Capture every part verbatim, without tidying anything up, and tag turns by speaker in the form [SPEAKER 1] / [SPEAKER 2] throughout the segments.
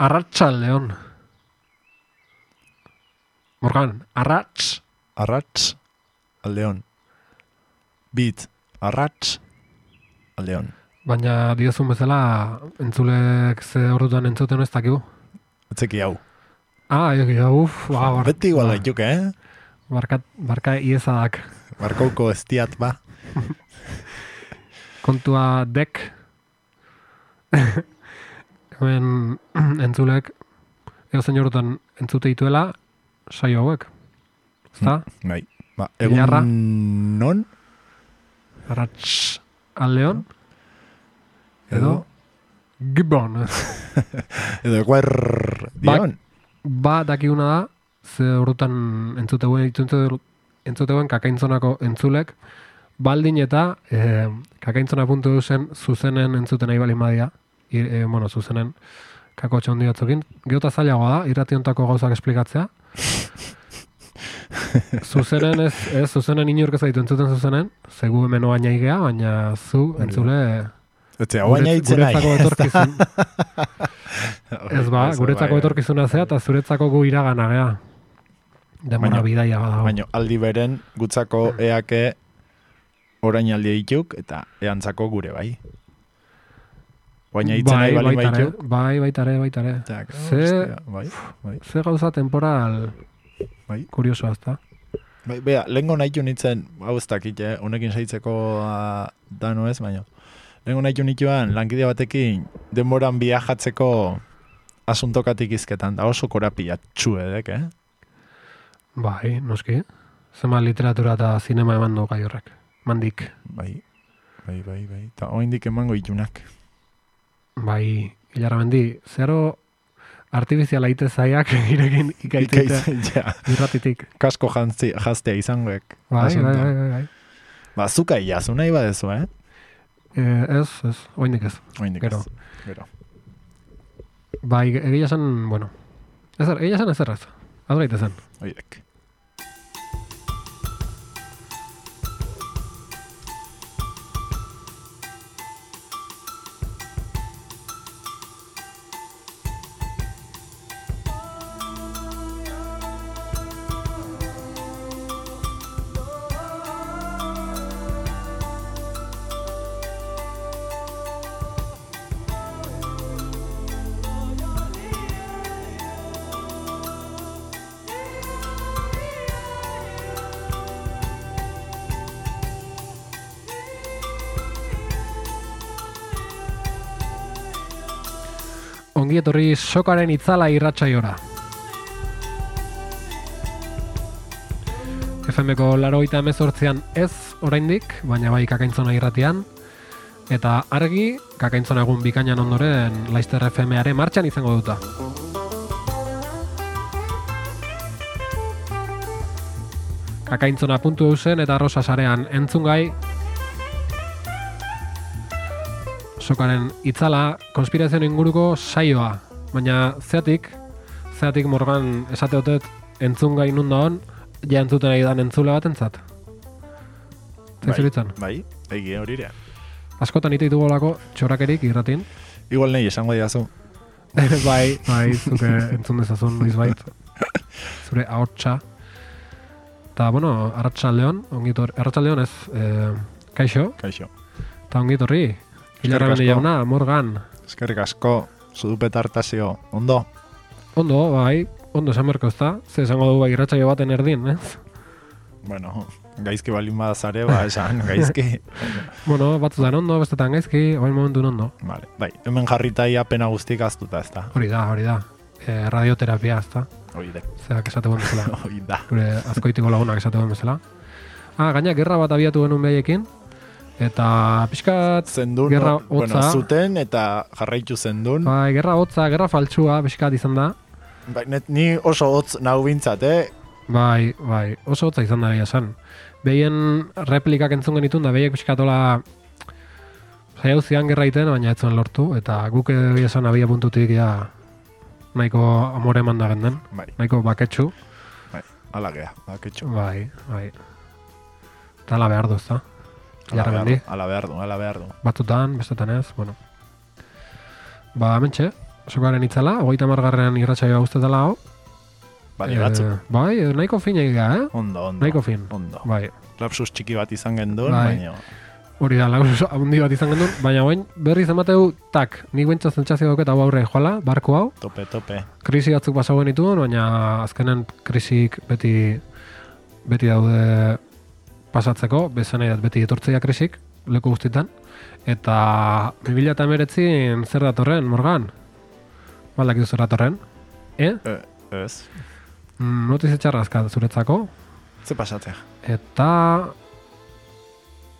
[SPEAKER 1] Arratsaldeon. Morgan, arrats.
[SPEAKER 2] Arrats, aldeon. Bit, arrats, aldeon.
[SPEAKER 1] Baina diozun bezala, entzulek ze horretan entzuten ez dakigu.
[SPEAKER 2] Etzeki hau.
[SPEAKER 1] Ah, eki, uf, ba, bar,
[SPEAKER 2] Beti igual gaituk, eh?
[SPEAKER 1] Barka, barka iezadak.
[SPEAKER 2] Barkauko estiat, ba.
[SPEAKER 1] Kontua dek. Hemen entzulek, ego zein horretan entzute dituela, saio hauek. Zta?
[SPEAKER 2] Bai. Ba,
[SPEAKER 1] Ilarra.
[SPEAKER 2] egun non?
[SPEAKER 1] Arrats aldeon. Edo,
[SPEAKER 2] Edo,
[SPEAKER 1] Gibbon.
[SPEAKER 2] edo eguer dion.
[SPEAKER 1] Ba, dakiguna da, ze horretan entzuteuen, entzuteuen kakaintzonako entzulek, baldin eta e, kakaintzona puntu zen zuzenen entzuten nahi balin badia, I, e, bueno, zuzenen kako txondi batzukin. Geota zailagoa da, irrationtako gauzak esplikatzea. Zuzenen ez, ez zuzenen inork ez ditu entzuten zuzenen, zegu hemen oain aigea, baina zu entzule...
[SPEAKER 2] Etxe, hau baina hitzen nahi.
[SPEAKER 1] Guretzako etorkizun. Ez ba, guretzako etorkizuna zea, eta zuretzako gu iragana gea. Demora bidaia badago.
[SPEAKER 2] Baina aldi beren gutzako eake orain aldi dituk, eta eantzako gure bai. Baina hitzen nahi bali baituk.
[SPEAKER 1] Bai, baitare, baitare. Ze,
[SPEAKER 2] bai, bai.
[SPEAKER 1] ze gauza temporal
[SPEAKER 2] bai.
[SPEAKER 1] kuriosoa ezta.
[SPEAKER 2] Bai, bea, lehenko nahitu nintzen, hau ez dakit, eh? Honekin saitzeko uh, dano ez, baina. Lehenko nahitu nituan, lankide batekin, denboran viajatzeko asuntokatik izketan, da oso korapia txuedek, eh?
[SPEAKER 1] Bai, noski. Zema literatura eta zinema eman du gai horrek. Mandik.
[SPEAKER 2] Bai, bai, bai, bai. Eta oindik emango itunak.
[SPEAKER 1] Bai, hilarra mendi, zero artifiziala ite zaiak irekin ikaitite
[SPEAKER 2] ja.
[SPEAKER 1] irratitik.
[SPEAKER 2] Kasko jantzi, jaztea izangoek.
[SPEAKER 1] Bai, bai, bai, bai, bai.
[SPEAKER 2] Ba, zuka iazu nahi badezu, eh?
[SPEAKER 1] Eh, ez, ez, oindik ez.
[SPEAKER 2] Oindik
[SPEAKER 1] Gero.
[SPEAKER 2] ez. Gero.
[SPEAKER 1] Bai, egia esan, bueno, ezer, egia esan ezer ez. Az gaitezen.
[SPEAKER 2] Oidek.
[SPEAKER 1] Ongi etorri sokaren itzala irratsaiora. F M-ko laurogeita hemezortzian ez oraindik, baina bai kakaintzona irratian. Eta argi, kakaintzona egun bikainan ondoren Laster F M-are martxan izango duta. Kakaintzona puntu eusen eta Rosa sarean entzungai. Sokaren itzala, konspirazioen inguruko saioa. Baina zeatik, zeatik Morgan esate hotet entzun gai nun da hon, ja entzuten ari dan entzule bat entzat. Zaizuritzen?
[SPEAKER 2] Bai, bai, egi horirea.
[SPEAKER 1] Askotan ite ditugu olako txorakerik irratin.
[SPEAKER 2] Igual nahi esango diazu.
[SPEAKER 1] bai, bai, zuke entzun dezazun noiz bait. Zure ahotsa. Eta, bueno, arratsaldeon, ongitor, arratsaldeon ez, eh, kaixo.
[SPEAKER 2] Kaixo.
[SPEAKER 1] Eta ongitorri. Hilarra bende jauna, Morgan.
[SPEAKER 2] Eskerrik asko, zudupet hartazio. Ondo?
[SPEAKER 1] Ondo, bai, ondo esan berko ezta. Ze esango du bai irratsaio baten erdin, ez?
[SPEAKER 2] Bueno, gaizki balin badazare, ba, esan, gaizki.
[SPEAKER 1] Bueno, batzutan ondo, bestetan gaizki, oin momentu ondo.
[SPEAKER 2] Vale, bai, hemen jarritai apena guztik aztuta, ez da.
[SPEAKER 1] Hori da, hori da. E, radioterapia, ez da.
[SPEAKER 2] Hori da.
[SPEAKER 1] Zerak esate guen bezala.
[SPEAKER 2] Hori da.
[SPEAKER 1] Gure azkoitiko lagunak esate guen bezala. Ah, gaina, gerra bat abiatu genuen behaiekin. Eta pixkat
[SPEAKER 2] zendun,
[SPEAKER 1] gerra
[SPEAKER 2] no, bueno,
[SPEAKER 1] hotza.
[SPEAKER 2] zuten eta jarraitu zendun.
[SPEAKER 1] Bai, gerra hotza, gerra faltsua pixkat izan da.
[SPEAKER 2] Bai, net, ni oso hotz nau bintzat, eh?
[SPEAKER 1] Bai, bai, oso hotza izan da behia esan. Behien replikak entzun genitun da behiek pixkatola zaiau zian gerra iten, baina ez zuen lortu. Eta guk behia esan abia puntutik ja nahiko amore eman da genden.
[SPEAKER 2] Bai.
[SPEAKER 1] Nahiko baketsu.
[SPEAKER 2] Bai, ala gea, baketxo.
[SPEAKER 1] Bai, bai. Eta ala behar du, ez da?
[SPEAKER 2] Ala
[SPEAKER 1] Jarra
[SPEAKER 2] behar
[SPEAKER 1] mendi.
[SPEAKER 2] du, ala behar du, ala behar du.
[SPEAKER 1] Batzutan, bestetan ez, bueno. Ba, mentxe, sokaren itzala, hogeita margarrean irratsaioa guztetala hau.
[SPEAKER 2] Bale, batzuk.
[SPEAKER 1] Bai, nahiko fin egiga, eh?
[SPEAKER 2] Ondo, ondo.
[SPEAKER 1] Nahiko fin.
[SPEAKER 2] Ondo.
[SPEAKER 1] Bai.
[SPEAKER 2] Lapsus txiki bat izan genduen,
[SPEAKER 1] Bai.
[SPEAKER 2] baina...
[SPEAKER 1] Hori da, lapsus handi bat izan genduen, baina bain berriz emateu, tak, nik bentsa zentzazio dauket hau aurre joala, barko hau.
[SPEAKER 2] Tope, tope.
[SPEAKER 1] Krisi batzuk pasauen dituen, baina azkenen krisik beti beti daude pasatzeko, bezan nahi dat beti etortzea krisik, leku guztietan. Eta bi mila hemeretzin zer datorren, Morgan? Baldak zer datorren? Eh?
[SPEAKER 2] E, ez.
[SPEAKER 1] Mm, notizia txarrazka zuretzako.
[SPEAKER 2] Ze pasatzea?
[SPEAKER 1] Eta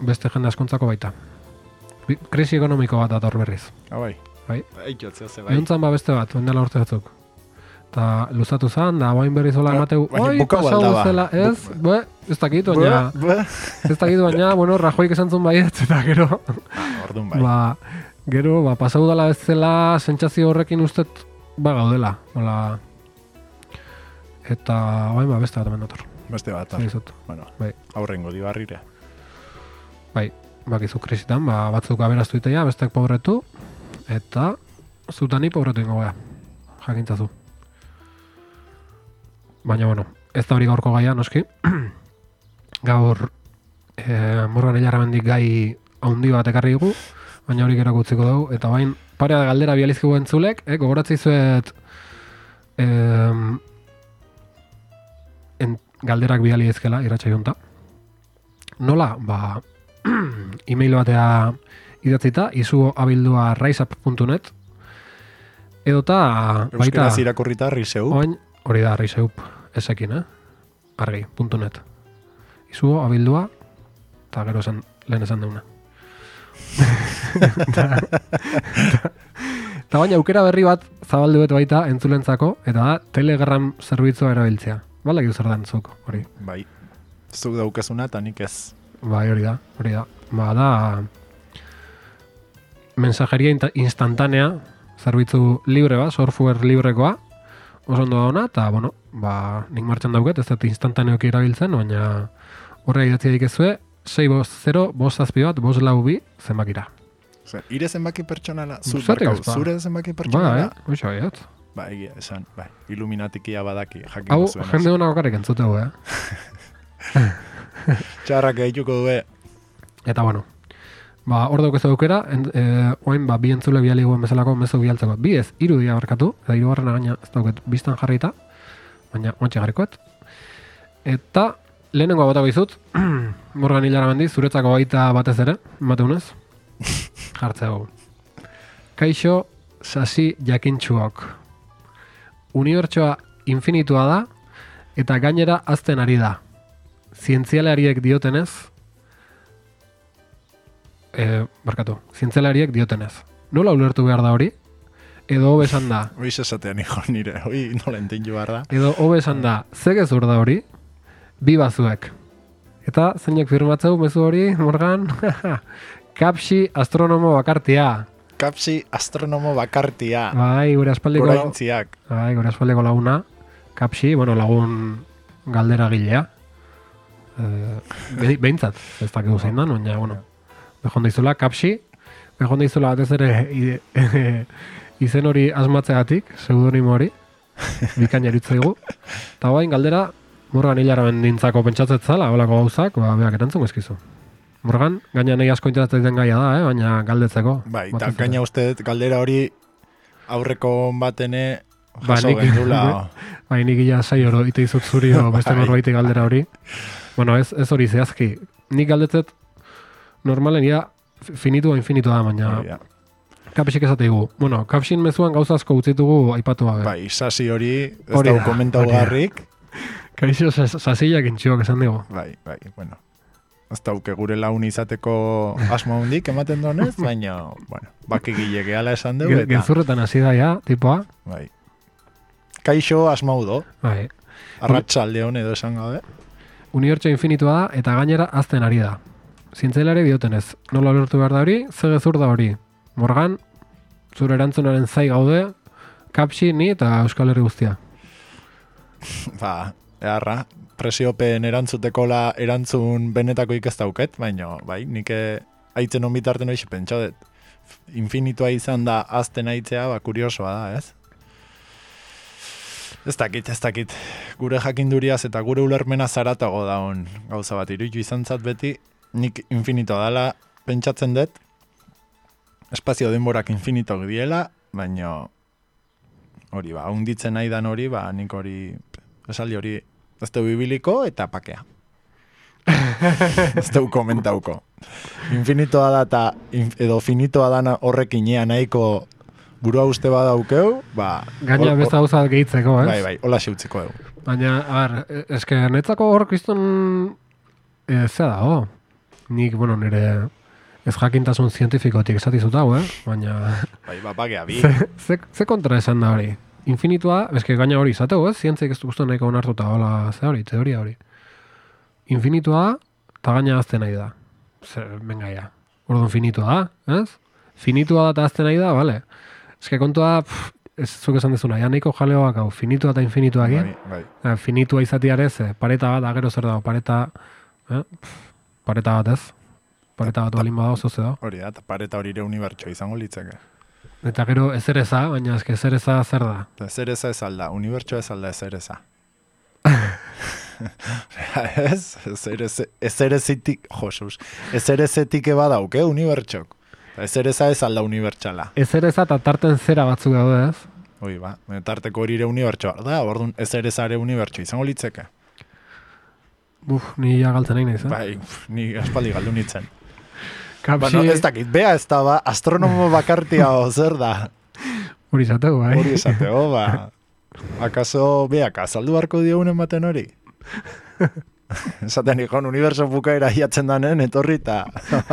[SPEAKER 1] beste jende askontzako baita. Bi- Krisi ekonomiko bat dator berriz.
[SPEAKER 2] Ah, bai.
[SPEAKER 1] Bai.
[SPEAKER 2] Eikiotzea ze bai.
[SPEAKER 1] Euntzan ba beste bat, ondela urte batzuk. Eta luzatu zan, da bain berriz hola
[SPEAKER 2] Ba-
[SPEAKER 1] emateu,
[SPEAKER 2] baina
[SPEAKER 1] oi,
[SPEAKER 2] bukau
[SPEAKER 1] pasau
[SPEAKER 2] aldaba.
[SPEAKER 1] zela, ez,
[SPEAKER 2] Bu-
[SPEAKER 1] be, ez dakit, baina,
[SPEAKER 2] Bue, bue.
[SPEAKER 1] ez dakit, baina, bueno, Rajoik esan zuen baietz, eta gero,
[SPEAKER 2] Ah, orduan bai.
[SPEAKER 1] ba, gero, ba, pasau dela ez zela, sentsazio horrekin ustet, ba, gaudela, hola, eta, bain, ba, beste bat hemen dator,
[SPEAKER 2] Beste bat.
[SPEAKER 1] zer dizut,
[SPEAKER 2] Bueno,
[SPEAKER 1] bai.
[SPEAKER 2] aurrengo dibarrire.
[SPEAKER 1] Bai, bakizu krisitan, ba, batzuk aberaztu itea, bestek pobretu, eta zutani pobretu ingo gara, jakintzazu. Baina, bueno, ez da hori gaurko gaia, noski. Gaur, e, Morgan Ilarramendik gai haundi bat ekarri dugu, baina hori gero utziko dugu, eta bain, parea galdera bializkigu entzulek, eh, gogoratzi zuet em, en, galderak biali ezkela, irratxa junta. Nola, ba, e-mail batea idatzita, izu abildua raizap puntu net, edota, baita,
[SPEAKER 2] Euskaraz irakurrita riseu.
[SPEAKER 1] oain, hori da, raizeup, esekin, eh? Argi, puntu net. Izu abildua, eta gero esan, lehen esan deuna. Eta baina aukera berri bat zabaldu bet baita entzulentzako, eta da Telegram zerbitzua erabiltzea. Balak zer dan zuk, hori.
[SPEAKER 2] Bai. Zuk daukezuna eta nik ez.
[SPEAKER 1] Bai, hori da, hori da. Ba, da mensajeria inta- instantanea, zerbitzu libre ba, software librekoa, oso ondo da ona, eta, bueno, ba, nik martxan dauket, ez dut instantaneoki erabiltzen, baina horre idatzi dikezue, sei bost zero, bost zazpi bat, bost lau bi, zenbakira.
[SPEAKER 2] Zer, ire zenbaki pertsonala? Zu,
[SPEAKER 1] Zergatik
[SPEAKER 2] barkau,
[SPEAKER 1] ez ba?
[SPEAKER 2] zure zenbaki
[SPEAKER 1] Ba,
[SPEAKER 2] pertsonala?
[SPEAKER 1] eh? Hoxe baiat.
[SPEAKER 2] Ba, egia, esan, bai, iluminatikia badaki, jakin
[SPEAKER 1] Hau,
[SPEAKER 2] zuenaz.
[SPEAKER 1] jende hona bakarrik entzutegu, eh?
[SPEAKER 2] Txarrak egituko due.
[SPEAKER 1] Eta, bueno, ba, hor daukezu aukera, en, e, oain, ba, bi entzule biali guen bezalako mezu bialtzeko. Bi ez, hiru dia barkatu, eta hirugarrena gaina ez dauket biztan jarrita, baina oantxe jarrikoet. Eta, lehenengoa bota bizut, Morgan Ilarramendi, zuretzako baita batez ere, emateunez, jartzeu. Kaixo, sasi jakintxuok. Unibertsoa infinitua da, eta gainera azten ari da. Zientzialariek diotenez, e, barkatu, zientzialariek diotenez. Nola ulertu behar da hori? Edo hobe esan da,
[SPEAKER 2] Hoi esatean hijo nire, hoi nola entendu behar da.
[SPEAKER 1] edo hobe esan da, ze gezur da hori? Bi bazuek. Eta zeinek firmatzeu mezu hori, Morgan? Kapsi astronomo bakartia.
[SPEAKER 2] Kapsi astronomo bakartia.
[SPEAKER 1] Bai, gure aspaldiko,
[SPEAKER 2] Goraintziak.
[SPEAKER 1] bai, gure aspaldiko laguna. Kapsi, bueno, lagun galdera gilea. E, behintzat, ez dakigu zein da, baina, bueno, behon daizula, kapsi, behon daizula batez ere i- izen hori asmatzeagatik, pseudonimo hori, bikain eritzaigu. Eta bain, galdera, Morgan Ilarramen dintzako pentsatzet zala, holako gauzak, ba, beak erantzun ezkizu. Morgan, gaina nahi asko interesatzen den gaia da, eh? Baina galdetzeko.
[SPEAKER 2] Bai, eta
[SPEAKER 1] batez ere.
[SPEAKER 2] gaina uste dut galdera hori aurreko batene
[SPEAKER 1] Ba,
[SPEAKER 2] jaso
[SPEAKER 1] nik-
[SPEAKER 2] gendula.
[SPEAKER 1] Bai, nik ia sai oro ite izut zuri o beste
[SPEAKER 2] Bai.
[SPEAKER 1] norbaiti galdera hori. Bueno, ez, ez hori zehazki. Nik galdetzet normalen ia finitua infinitua da, baina
[SPEAKER 2] Hori da.
[SPEAKER 1] kapsik esate digu. Bueno, kapsin mezuan gauza asko utzitugu aipatu gabe.
[SPEAKER 2] Bai, sasi hori ez
[SPEAKER 1] Hori
[SPEAKER 2] dago
[SPEAKER 1] da,
[SPEAKER 2] komentau
[SPEAKER 1] hori da.
[SPEAKER 2] garrik.
[SPEAKER 1] Kaixo sasillak intxuak esan digu.
[SPEAKER 2] Bai, bai, bueno. Ez dauke gure laun izateko asmo hundik ematen donez, baina, bueno, bakigile gehala esan dugu
[SPEAKER 1] Ge-
[SPEAKER 2] eta,
[SPEAKER 1] Gezurretan hasi da ja, tipoa.
[SPEAKER 2] bai. Kaixo asmau do,
[SPEAKER 1] Bai.
[SPEAKER 2] arratsalde hon edo esan gabe.
[SPEAKER 1] Unibertso infinitua da eta gainera azten ari da. Zientzialari diotenez, nola lortu behar da hori, ze gezur da hori. Morgan, zure erantzunaren zai gaude, kapsi, ni eta Euskal Herri guztia.
[SPEAKER 2] Ba, eharra, presiopen erantzuteko la erantzun benetako ez dauket, baina, bai, nik eh, aitzen on bitarten hoxe pentsa dut. infinitua izan da azten aitzea, ba, kuriosoa da, ez? Ez dakit, ez dakit. Gure jakinduriaz eta gure ulermena zaratago daun gauza bat. Iruditu izan zat beti, nik infinitoa dela pentsatzen dut, espazio denborak infinitok diela, baina hori ba, hunditzen nahi dan hori, ba, nik hori, esaldi hori, ez du bibiliko eta pakea. Ez du komentauko. Infinitoa da eta edo finitoa dana horrekin ea nahiko burua uste badaukeu, ba...
[SPEAKER 1] Gaina beste gauza gehitzeko, ez?
[SPEAKER 2] Bai, bai, hola xeutziko dugu.
[SPEAKER 1] Baina, a ber, eske netzako hor kriston e, zea dago. Nik, bueno, nire ez jakintasun zientifikotik esatizu dago, eh? Baina...
[SPEAKER 2] Bai, ba, bagea bi.
[SPEAKER 1] Ze, ze, ze kontra esan da hori? Infinitua, eske gaina hori izateko, ez? Zientzik ez guztu nahiko onartuta, hola, ze hori, teoria hori. Infinitua, eta gaina azten nahi da. Zer, venga ya. Orduan finitua da, ez? Finitua da eta azten nahi da, bale. Eske kontua, pff, ez zuk esan dezuna, ja nahiko jaleoak hau, finitua eta infinituak,
[SPEAKER 2] Bai, bai.
[SPEAKER 1] eh? Finitua izatiarez, eh, pareta bat, agero zer dago, pareta, eh? Pff, pareta bat ez? Pareta bat balin badago zoze dago.
[SPEAKER 2] Hori da, eta pareta hori ere unibertsoa izango litzeke.
[SPEAKER 1] Eta gero ezereza, baina eske ezereza zer da?
[SPEAKER 2] Ezereza ez alda, unibertsoa ez alda ezereza. Ez? Ezerezitik, josuz, ezerezetik eba dauk, eh, unibertsok. Ezereza ez alda unibertsala.
[SPEAKER 1] Ezereza eta tarten zera batzuk daude, ez?
[SPEAKER 2] Hoi ba, tarteko hori ere unibertsoa da, orduan ezereza ere unibertso izango litzeke.
[SPEAKER 1] Buf, ni ja galtzen nahi naiz, eh?
[SPEAKER 2] Bai, ni aspaldi galdu nintzen.
[SPEAKER 1] Kapsi...
[SPEAKER 2] Bueno, ez dakit, bea ez da, ba, astronomo bakartia o zer da.
[SPEAKER 1] Hori izateko, bai.
[SPEAKER 2] Hori esateo, ba. Akaso, beak, azaldu barko diogunen baten hori? Esaten ikon, uniberso bukaera hiatzen danen, etorri eta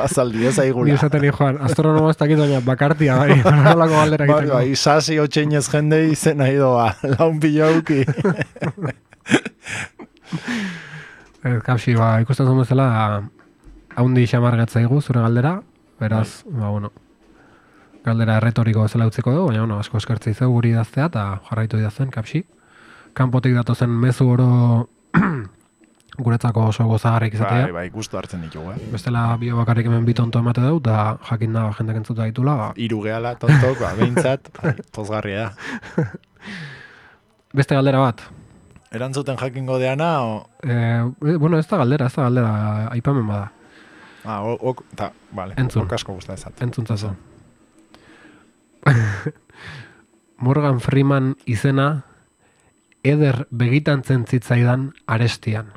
[SPEAKER 2] azaldi ez aigula.
[SPEAKER 1] Ni esaten ikon, astronomo ez dakit baina bakartia, bai. Nolako galdera
[SPEAKER 2] Bai,
[SPEAKER 1] egiteko.
[SPEAKER 2] bai, sasi otxeinez jende izen nahi doa, laun pilauki.
[SPEAKER 1] Kapsi, ba, ikusten zuen bezala, haundi xamargatzaigu zure galdera, beraz, ba, bueno, galdera erretoriko bezala utziko dugu, baina, bueno, asko eskertzei zeu guri idaztea, eta jarraitu idazten, Kapsi. Kanpotik datozen mezu oro guretzako oso gozagarrik izatea.
[SPEAKER 2] Bai, bai, gustu hartzen ditugu, eh?
[SPEAKER 1] Bestela bio bakarrik hemen bi tonto emate dut, da jakin da jendak entzuta ditula. Ba.
[SPEAKER 2] Hiru gehala, tontok, ba, behintzat, bai, pozgarria da.
[SPEAKER 1] Beste galdera bat.
[SPEAKER 2] Erantzuten jakingo deana, o...
[SPEAKER 1] Eh, bueno, ez da galdera, ez da galdera, aipamen bada.
[SPEAKER 2] Ah, ok, ta, vale,
[SPEAKER 1] Entzun.
[SPEAKER 2] ok asko guzta ezat.
[SPEAKER 1] Entzuntzazu. Morgan Freeman izena eder begitantzen zitzaidan arestian.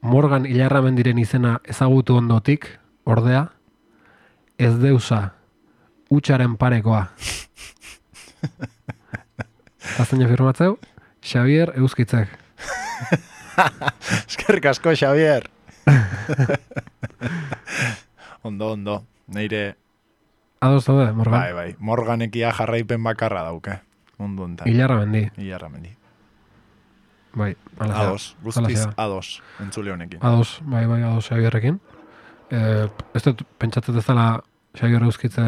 [SPEAKER 1] Morgan Ilarramendiren izena ezagutu ondotik, ordea, ez deusa, utxaren parekoa. Azten firmatzeu, Xavier Euskitzek.
[SPEAKER 2] Eskerrik asko, Xavier. Ondo, ondo. Neire...
[SPEAKER 1] Ados daude, Morgan?
[SPEAKER 2] Bai, bai. Morganekia jarraipen bakarra dauke. Mundu ontan.
[SPEAKER 1] Ilarramendi.
[SPEAKER 2] Ilarramendi.
[SPEAKER 1] Bai, ala zera.
[SPEAKER 2] Ados, guztiz ados, entzule honekin.
[SPEAKER 1] Ados, bai, bai, ados Xavierrekin. Eh, ez dut pentsatzen ez dela Xavier Euskitze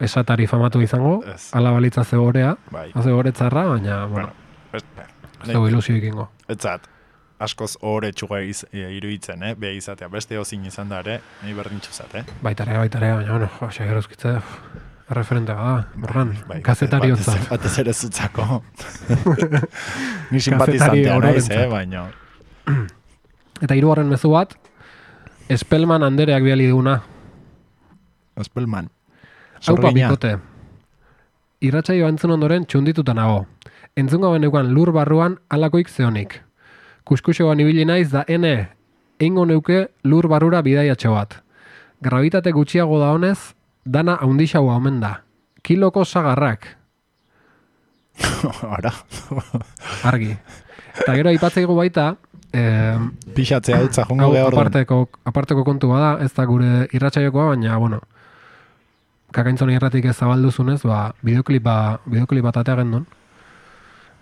[SPEAKER 1] esatari famatu izango,
[SPEAKER 2] Ez.
[SPEAKER 1] ala balitza ze gorea,
[SPEAKER 2] Bai.
[SPEAKER 1] haze goretzarra, baina, bueno,
[SPEAKER 2] Ez,
[SPEAKER 1] ez dugu ilusio ikingo.
[SPEAKER 2] etzat, askoz ohore txuga iz, e, iruditzen, eh? Beha izatea, beste hozin izan da ere, nahi berdintxu zat, eh?
[SPEAKER 1] Baitare, baitare, baina, bueno, jo, Xavier Euskitze, referentea da, Morgan,
[SPEAKER 2] Bai,
[SPEAKER 1] kazetari
[SPEAKER 2] batez-
[SPEAKER 1] hotza.
[SPEAKER 2] Batez ere zutzako. Ni simpatizantea naiz, eh? Baina,
[SPEAKER 1] Eta hirugarren mezu bat, Spellman Andereak biali duguna.
[SPEAKER 2] Spellman.
[SPEAKER 1] Haupa
[SPEAKER 2] Zorrina.
[SPEAKER 1] bikote. Irratsaioa entzun ondoren txundituta nago. Entzungo beneukan lur barruan alakoik zeonik. Kuskuxoan ibili naiz da ene, eingo neuke lur barrura bidaiatxo bat. Gravitate gutxiago da honez, dana haundixaua omen da. Kiloko sagarrak,
[SPEAKER 2] Ara,
[SPEAKER 1] argi. Eta gero aipatzeigu baita, eh,
[SPEAKER 2] pixatzea dutza jongo
[SPEAKER 1] hau
[SPEAKER 2] geha orduan.
[SPEAKER 1] aparteko, aparteko kontu bada, ez da gure irratsaiokoa, baina, bueno, kakaintzon irratik ez zabalduzunez, ba, bideoklipa, bideoklipa tatea gendun.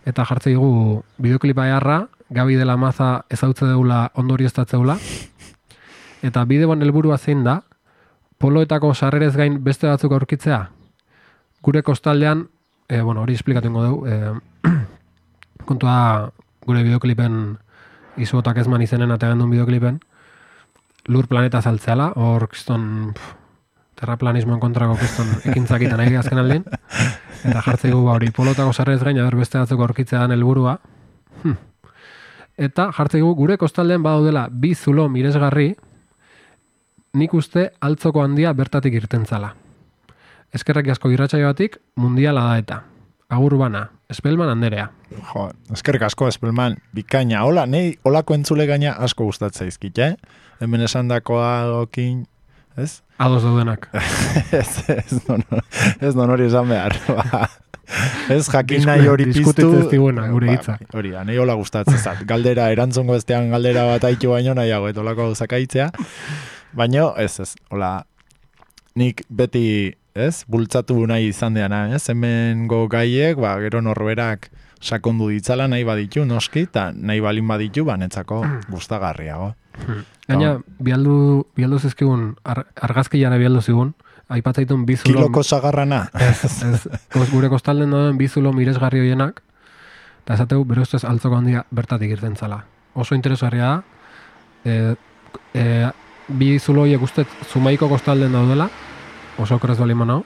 [SPEAKER 1] Eta jartzei dugu bideoklipa eharra, Gabi de la Maza ezautze deula ondorioztatzeula. Eta bideoan helburua zein da, poloetako sarrerez gain beste batzuk aurkitzea. Gure kostaldean, e, bueno, hori esplikatu ingo dugu, e, kontua gure bideoklipen izuotak ezman izenen ategan duen bideoklipen, lur planeta zaltzeala, hor kiston terraplanismoen kontrako kiston ekintzakita nahi azken aldin, eta jartzeigu ba hori polotako sarrez gain, aber beste batzuk aurkitzea dan helburua. Hm. Eta jartzeigu gure kostaldean badaudela bi zulo miresgarri, nik uste altzoko handia bertatik irtentzala. Eskerrak asko irratsaioatik mundiala da eta. Agur bana, Espelman Anderea.
[SPEAKER 2] Jo, eskerrik asko Espelman, bikaina. Hola, nei holako entzule gaina asko gustatzen zaizkit, eh? Hemen esandakoarekin, ez?
[SPEAKER 1] Ados daudenak.
[SPEAKER 2] ez, ez, non, ez non hori esan behar. Ba. Ez jakin nahi hori piztu.
[SPEAKER 1] Diskutitzen ziguena, gure hitza.
[SPEAKER 2] Ba, hori, nahi hola gustatzen zat. Galdera, erantzongo estean galdera bat haitu baino nahiago, eta holako zakaitzea. Baina, ez, ez, hola, nik beti, ez, bultzatu nahi izan deana, ez, hemen go gaiek, ba, gero norberak sakondu ditzala nahi baditu, noski, eta nahi balin baditu, ba, netzako gustagarriago.
[SPEAKER 1] Gaina, bialdu, bialdu zizkigun, ar, argazkilara bialdu zigun, aipatzaitun bizulo...
[SPEAKER 2] Kiloko sagarrana.
[SPEAKER 1] Ez, ez, gure kostalden dauden bizulo miresgarri hoienak, eta esateu, bere ustez altzoko handia bertatik irten zala. Oso interesgarria da, e, e, bi zulo horiek ustez Zumaiko kostalden daudela, oso okeraz bali manau,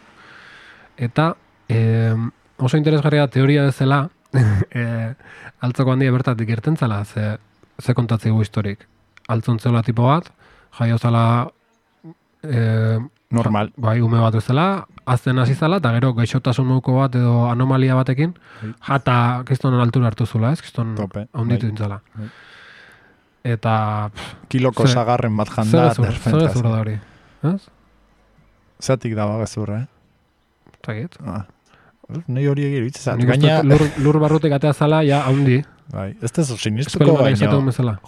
[SPEAKER 1] eta e, oso interesgarria teoria dezela, e, altzoko handia bertatik irten zala, ze, ze kontatzegu historik. Altzontzela tipo bat, jaio zala e,
[SPEAKER 2] normal.
[SPEAKER 1] Bai, ume bat bezala, azten hasi zala, eta gero gaixotasun moduko bat edo anomalia batekin, jata kiston altura hartu zula, ez? Kiston haunditu dintzala. Bai. Eta... Pff,
[SPEAKER 2] kiloko sagarren bat janda.
[SPEAKER 1] Zer ezur da hori, ez?
[SPEAKER 2] Zatik da bagazur, eh?
[SPEAKER 1] Zagit.
[SPEAKER 2] Ah. Nei hori egir bitzizat.
[SPEAKER 1] Gaina... Lur, lur barrutik atea zala, ja, haundi.
[SPEAKER 2] Bai, ez tezu sinistuko baino,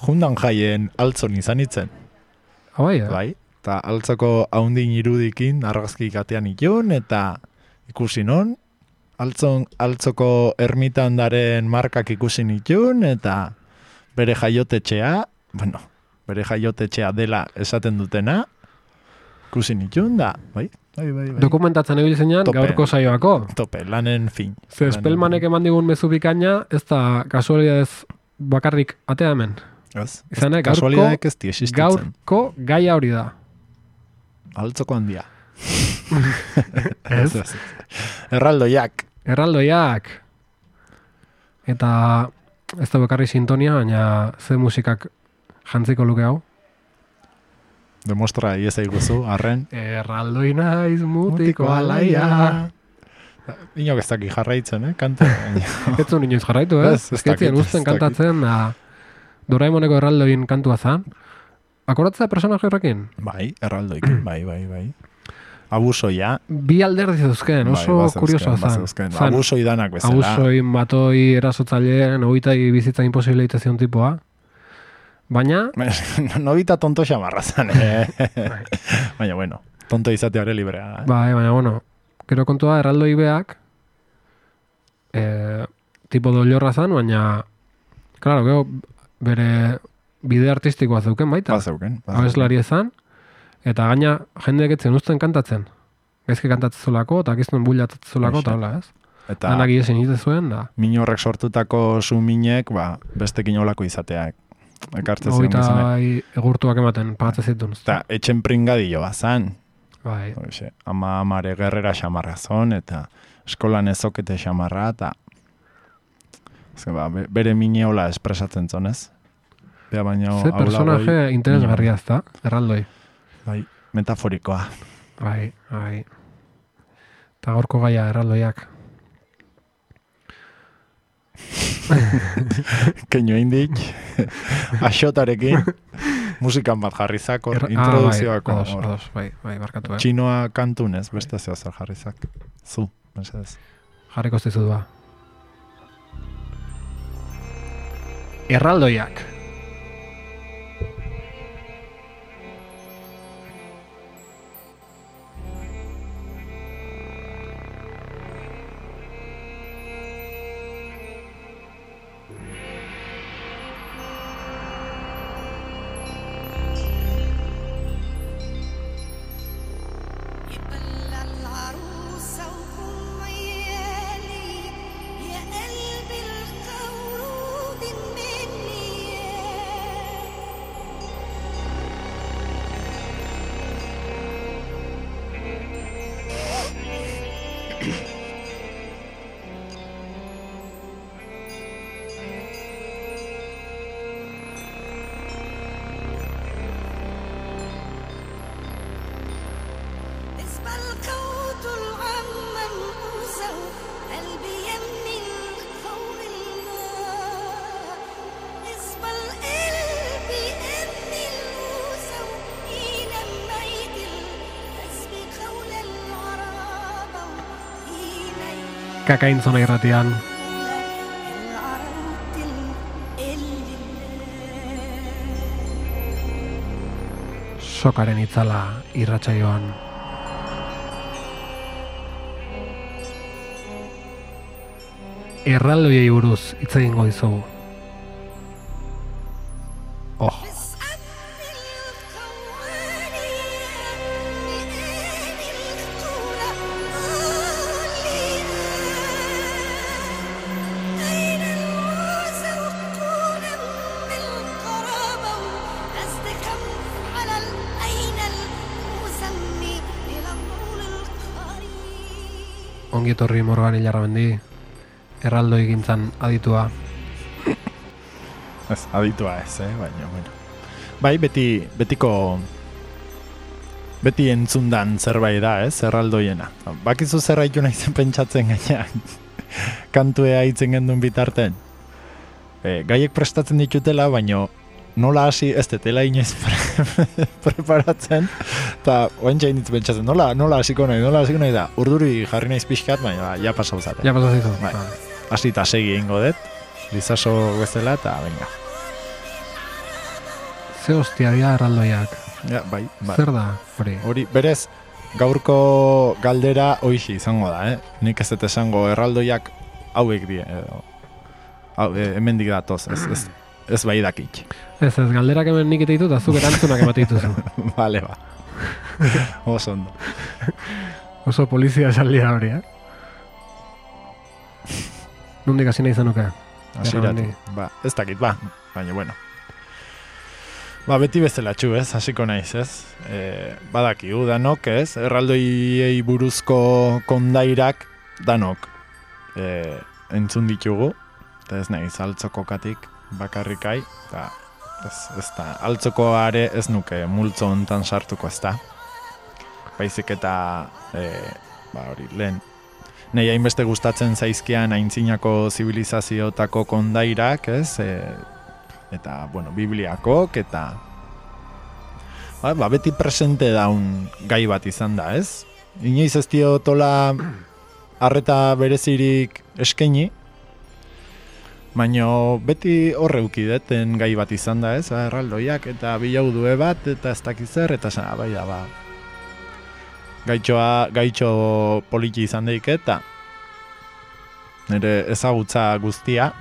[SPEAKER 2] jundan jaien altzon izan itzen.
[SPEAKER 1] Ah, bai, eh?
[SPEAKER 2] Bai, eta altzoko haundin irudikin argazki katean itun, eta ikusi non, altzon, altzoko ermitandaren markak ikusi nitun, eta bere jaiotetxea, bueno, bere jaiotetxea dela esaten dutena, ikusi nitun, da, bai, bai, bai, bai.
[SPEAKER 1] Dokumentatzen egin zeinan, gaurko saioako.
[SPEAKER 2] Tope, lanen fin.
[SPEAKER 1] Ze Espelmanek eman digun mezu bikaina, ez da kasualidadez bakarrik atea hemen.
[SPEAKER 2] Ez,
[SPEAKER 1] Izanek,
[SPEAKER 2] kasualidadek ez di existitzen.
[SPEAKER 1] Gaurko gaia hori da.
[SPEAKER 2] Altzoko handia.
[SPEAKER 1] Ez?
[SPEAKER 2] Erraldoiak.
[SPEAKER 1] Erraldoiak. Eta ez da bakarri sintonia, baina ze musikak jantziko luke hau.
[SPEAKER 2] Demostra iesa iguzu, arren.
[SPEAKER 1] Erraldoi naiz mutiko alaia.
[SPEAKER 2] Inok ez daki jarraitzen, eh? Kante.
[SPEAKER 1] Ez zuen inoiz jarraitu, eh? Ez dakit, usten kantatzen, da Doraemoneko erraldoin kantua zan. Akoratzea personaje horrekin?
[SPEAKER 2] Bai, erraldoik, bai, bai, bai. Abusoia.
[SPEAKER 1] Bi alderdi zeuzken, oso bai, kuriosoa zan.
[SPEAKER 2] Abusoi danak bezala.
[SPEAKER 1] Abusoi, matoi, erasotzaileen, oitai bizitza imposible itezion tipoa. Baina...
[SPEAKER 2] Nobita tonto xamarra zan, eh? Baina, bueno, tonto izateare librea. Eh?
[SPEAKER 1] Bai, baina, bueno, gero kontua erraldoi beak, eh, tipo dollorra zan, baina, claro, gero bere bide artistikoa zeuken baita.
[SPEAKER 2] Ba zeuken.
[SPEAKER 1] Abeslari ezan, eta gaina jendeek etzen usten kantatzen. Gaizki kantatzen zolako, eta giztuen bullatzen zolako, eta hola, ez? Eta danak iesen ite zuen, da.
[SPEAKER 2] Minorrek sortutako suminek, ba, bestekin olako izateak. Ekartze zion
[SPEAKER 1] gizene. Oita egurtuak ematen, pagatze zitun.
[SPEAKER 2] Eta etxen pringadillo bazan.
[SPEAKER 1] Bai.
[SPEAKER 2] Oixe, ama amare gerrera xamarra zon, eta eskolan ezokete xamarra, eta ba, bere mineola espresatzen zonez. Bea baino...
[SPEAKER 1] Ze personaje interesgarria ez da, erraldoi.
[SPEAKER 2] Bai, metaforikoa.
[SPEAKER 1] Bai, bai. Eta gaurko gaia erraldoiak.
[SPEAKER 2] Keino indik, axotarekin, musikan bat jarrizak, er, introduzioako.
[SPEAKER 1] Ah, bai, ados, ados, bai, bai, barkatu, eh?
[SPEAKER 2] Txinoa kantunez, beste zeo zer jarrizak. Zu, mesedez.
[SPEAKER 1] Jarriko zizu da. Erraldoiak.
[SPEAKER 3] يا قلبي القورود مني
[SPEAKER 1] Kakaintzona irratian. Sokaren itzala irratsaioan. Erraldoiei buruz hitz egingo dizugu. Oh. Ongi etorri Morgan Ilarramendi, erraldoi gintzan aditua.
[SPEAKER 2] Ez, aditua ez, eh? Baina, bueno. Bai, beti, betiko, beti entzundan zerbait da, ez, erraldoiena. Bakizu zerraitu nahi zen pentsatzen gainean, kantua hitzen gendun bitarten. E, gaiek prestatzen ditutela, baina nola hasi ez detela inoiz pre preparatzen, eta oen jain ditu pentsatzen, nola, nola hasiko nahi, nola hasiko nahi da, urduri jarri naiz pixkat, baina ja pasau zaten.
[SPEAKER 1] Ja pasau zitu.
[SPEAKER 2] Bai. Hasi eta segi egingo dut, lizaso bezala, eta venga.
[SPEAKER 1] Ze hostia dira erraldoiak.
[SPEAKER 2] Ja, bai, bai.
[SPEAKER 1] Zer da, hori?
[SPEAKER 2] Hori, berez, gaurko galdera hoixi izango da, eh? Nik ez dut esango erraldoiak hauek die, edo, hau, e, hemendik datoz, ez, ez, ez bai dakik.
[SPEAKER 1] Ez, ez, galderak hemen nik ditu, eta zuk erantzunak emate dituzu.
[SPEAKER 2] Vale, ba. Oso ondo.
[SPEAKER 1] Oso polizia esaldia hori, eh? Nondik hasi nahi zenuke?
[SPEAKER 2] Hasiratu, ba, ez dakit, ba, baina, bueno. Ba, beti bezala txu, ez, hasiko naiz, ez? E, badakigu, danok, ez? Erraldoiei buruzko kondairak, danok, e, entzun ditugu, eta ez nahiz, altzokokatik bakarrikai, eta ez, ez da, altzokoare ez nuke multzo hontan sartuko, ez da. Baizik eta, e, ba, hori, lehen, nahi hainbeste gustatzen zaizkian aintzinako zibilizazioetako kondairak, ez? E, eta, bueno, bibliakok, eta ba, ba, beti presente daun gai bat izan da, ez? Inoiz ez diotola arreta berezirik eskaini, baina beti horreuki deten gai bat izan da, ez? Ba, erraldoiak eta bilaudue bat, eta ez dakiz zer, eta zen, bai da, ba, gaitxoa, gaitxo poliki izan daik, eta nire ezagutza guztia,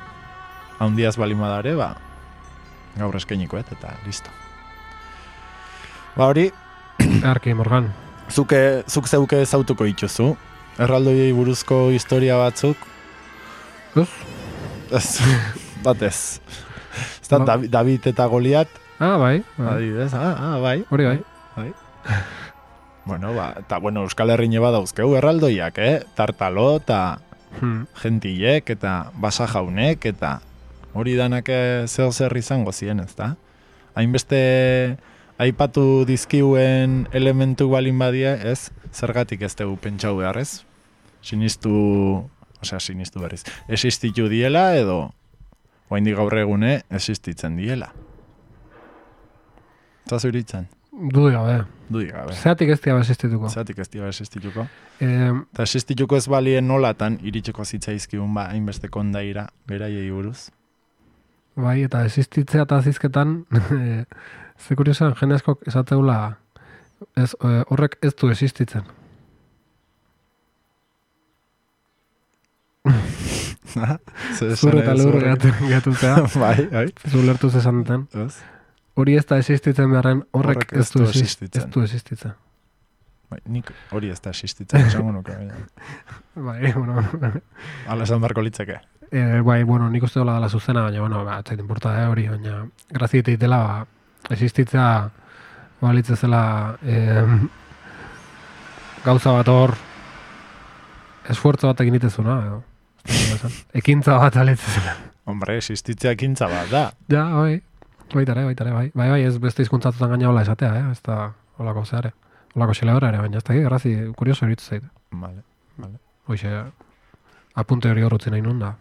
[SPEAKER 2] haundiaz balimadare, ba, gaur eskainikoet, eta listo. Ba hori,
[SPEAKER 1] Arki, Morgan.
[SPEAKER 2] Zuke, zuk zeuke ezautuko dituzu. Erraldoiei buruzko historia batzuk.
[SPEAKER 1] Ez?
[SPEAKER 2] Ez, bat ez. Ez da, David, David eta Goliat.
[SPEAKER 1] Ah, bai. bai.
[SPEAKER 2] Adibidez, ah, ah, bai.
[SPEAKER 1] Hori bai.
[SPEAKER 2] bai. Bueno, ba, eta bueno, Euskal Herrin eba dauzkeu erraldoiak, eh? Tartalo, eta
[SPEAKER 1] Hmm.
[SPEAKER 2] gentilek, eta basa jaunek, eta hori danak zeo zer izango ziren, ez da? Hainbeste aipatu dizkiuen elementu balin badia, ez? Zergatik ez dugu pentsau beharrez? Sinistu, osea, sinistu berriz. Existitu diela edo, oraindik gaur egune, existitzen diela. Eta zuritzen?
[SPEAKER 1] Dudi gabe.
[SPEAKER 2] Dudi gabe.
[SPEAKER 1] Zeatik ez diaba existituko.
[SPEAKER 2] Zeatik ez diaba existituko.
[SPEAKER 1] Eh,
[SPEAKER 2] Eta existituko ez balien nolatan iritseko zitzaizkigun ba, hainbeste kondaira, beraiei buruz.
[SPEAKER 1] bai, eta existitzea eta azizketan, eh, ze kuriosan, jende askok esatzeula, ez, eh, horrek ez du existitzen. Zure eta lur gehatutzea.
[SPEAKER 2] Bai, bai.
[SPEAKER 1] Zu lertuz esan duten. Hori ez da existitzen beharren, horrek, horrek ez du existitzen. Ez du existitzen.
[SPEAKER 2] Bai, nik hori ez da existitzen, esango nuke.
[SPEAKER 1] Bai, bueno.
[SPEAKER 2] Ala esan barko litzeke.
[SPEAKER 1] Eh, bai, bueno, nik uste dola dela zuzena, baina, bueno, ba, etzait importa eh, hori, baina graziete itela, ba, existitzea, balitzezela, eh, gauza bat hor, esfuerzo bat egin itezuna, edo, ekintza bat alitzezela.
[SPEAKER 2] Hombre, existitzea ekintza bat da.
[SPEAKER 1] Ja, bai, baitare, baitare, bai, bai, bai, ez beste hizkuntzatutan gaina hola esatea, eh, ez da, holako zeare, holako xeleora ere, baina ez da, grazi, kurioso eritzu zait.
[SPEAKER 2] Vale, vale.
[SPEAKER 1] Hoxe, apunte hori horretzen nahi nun da.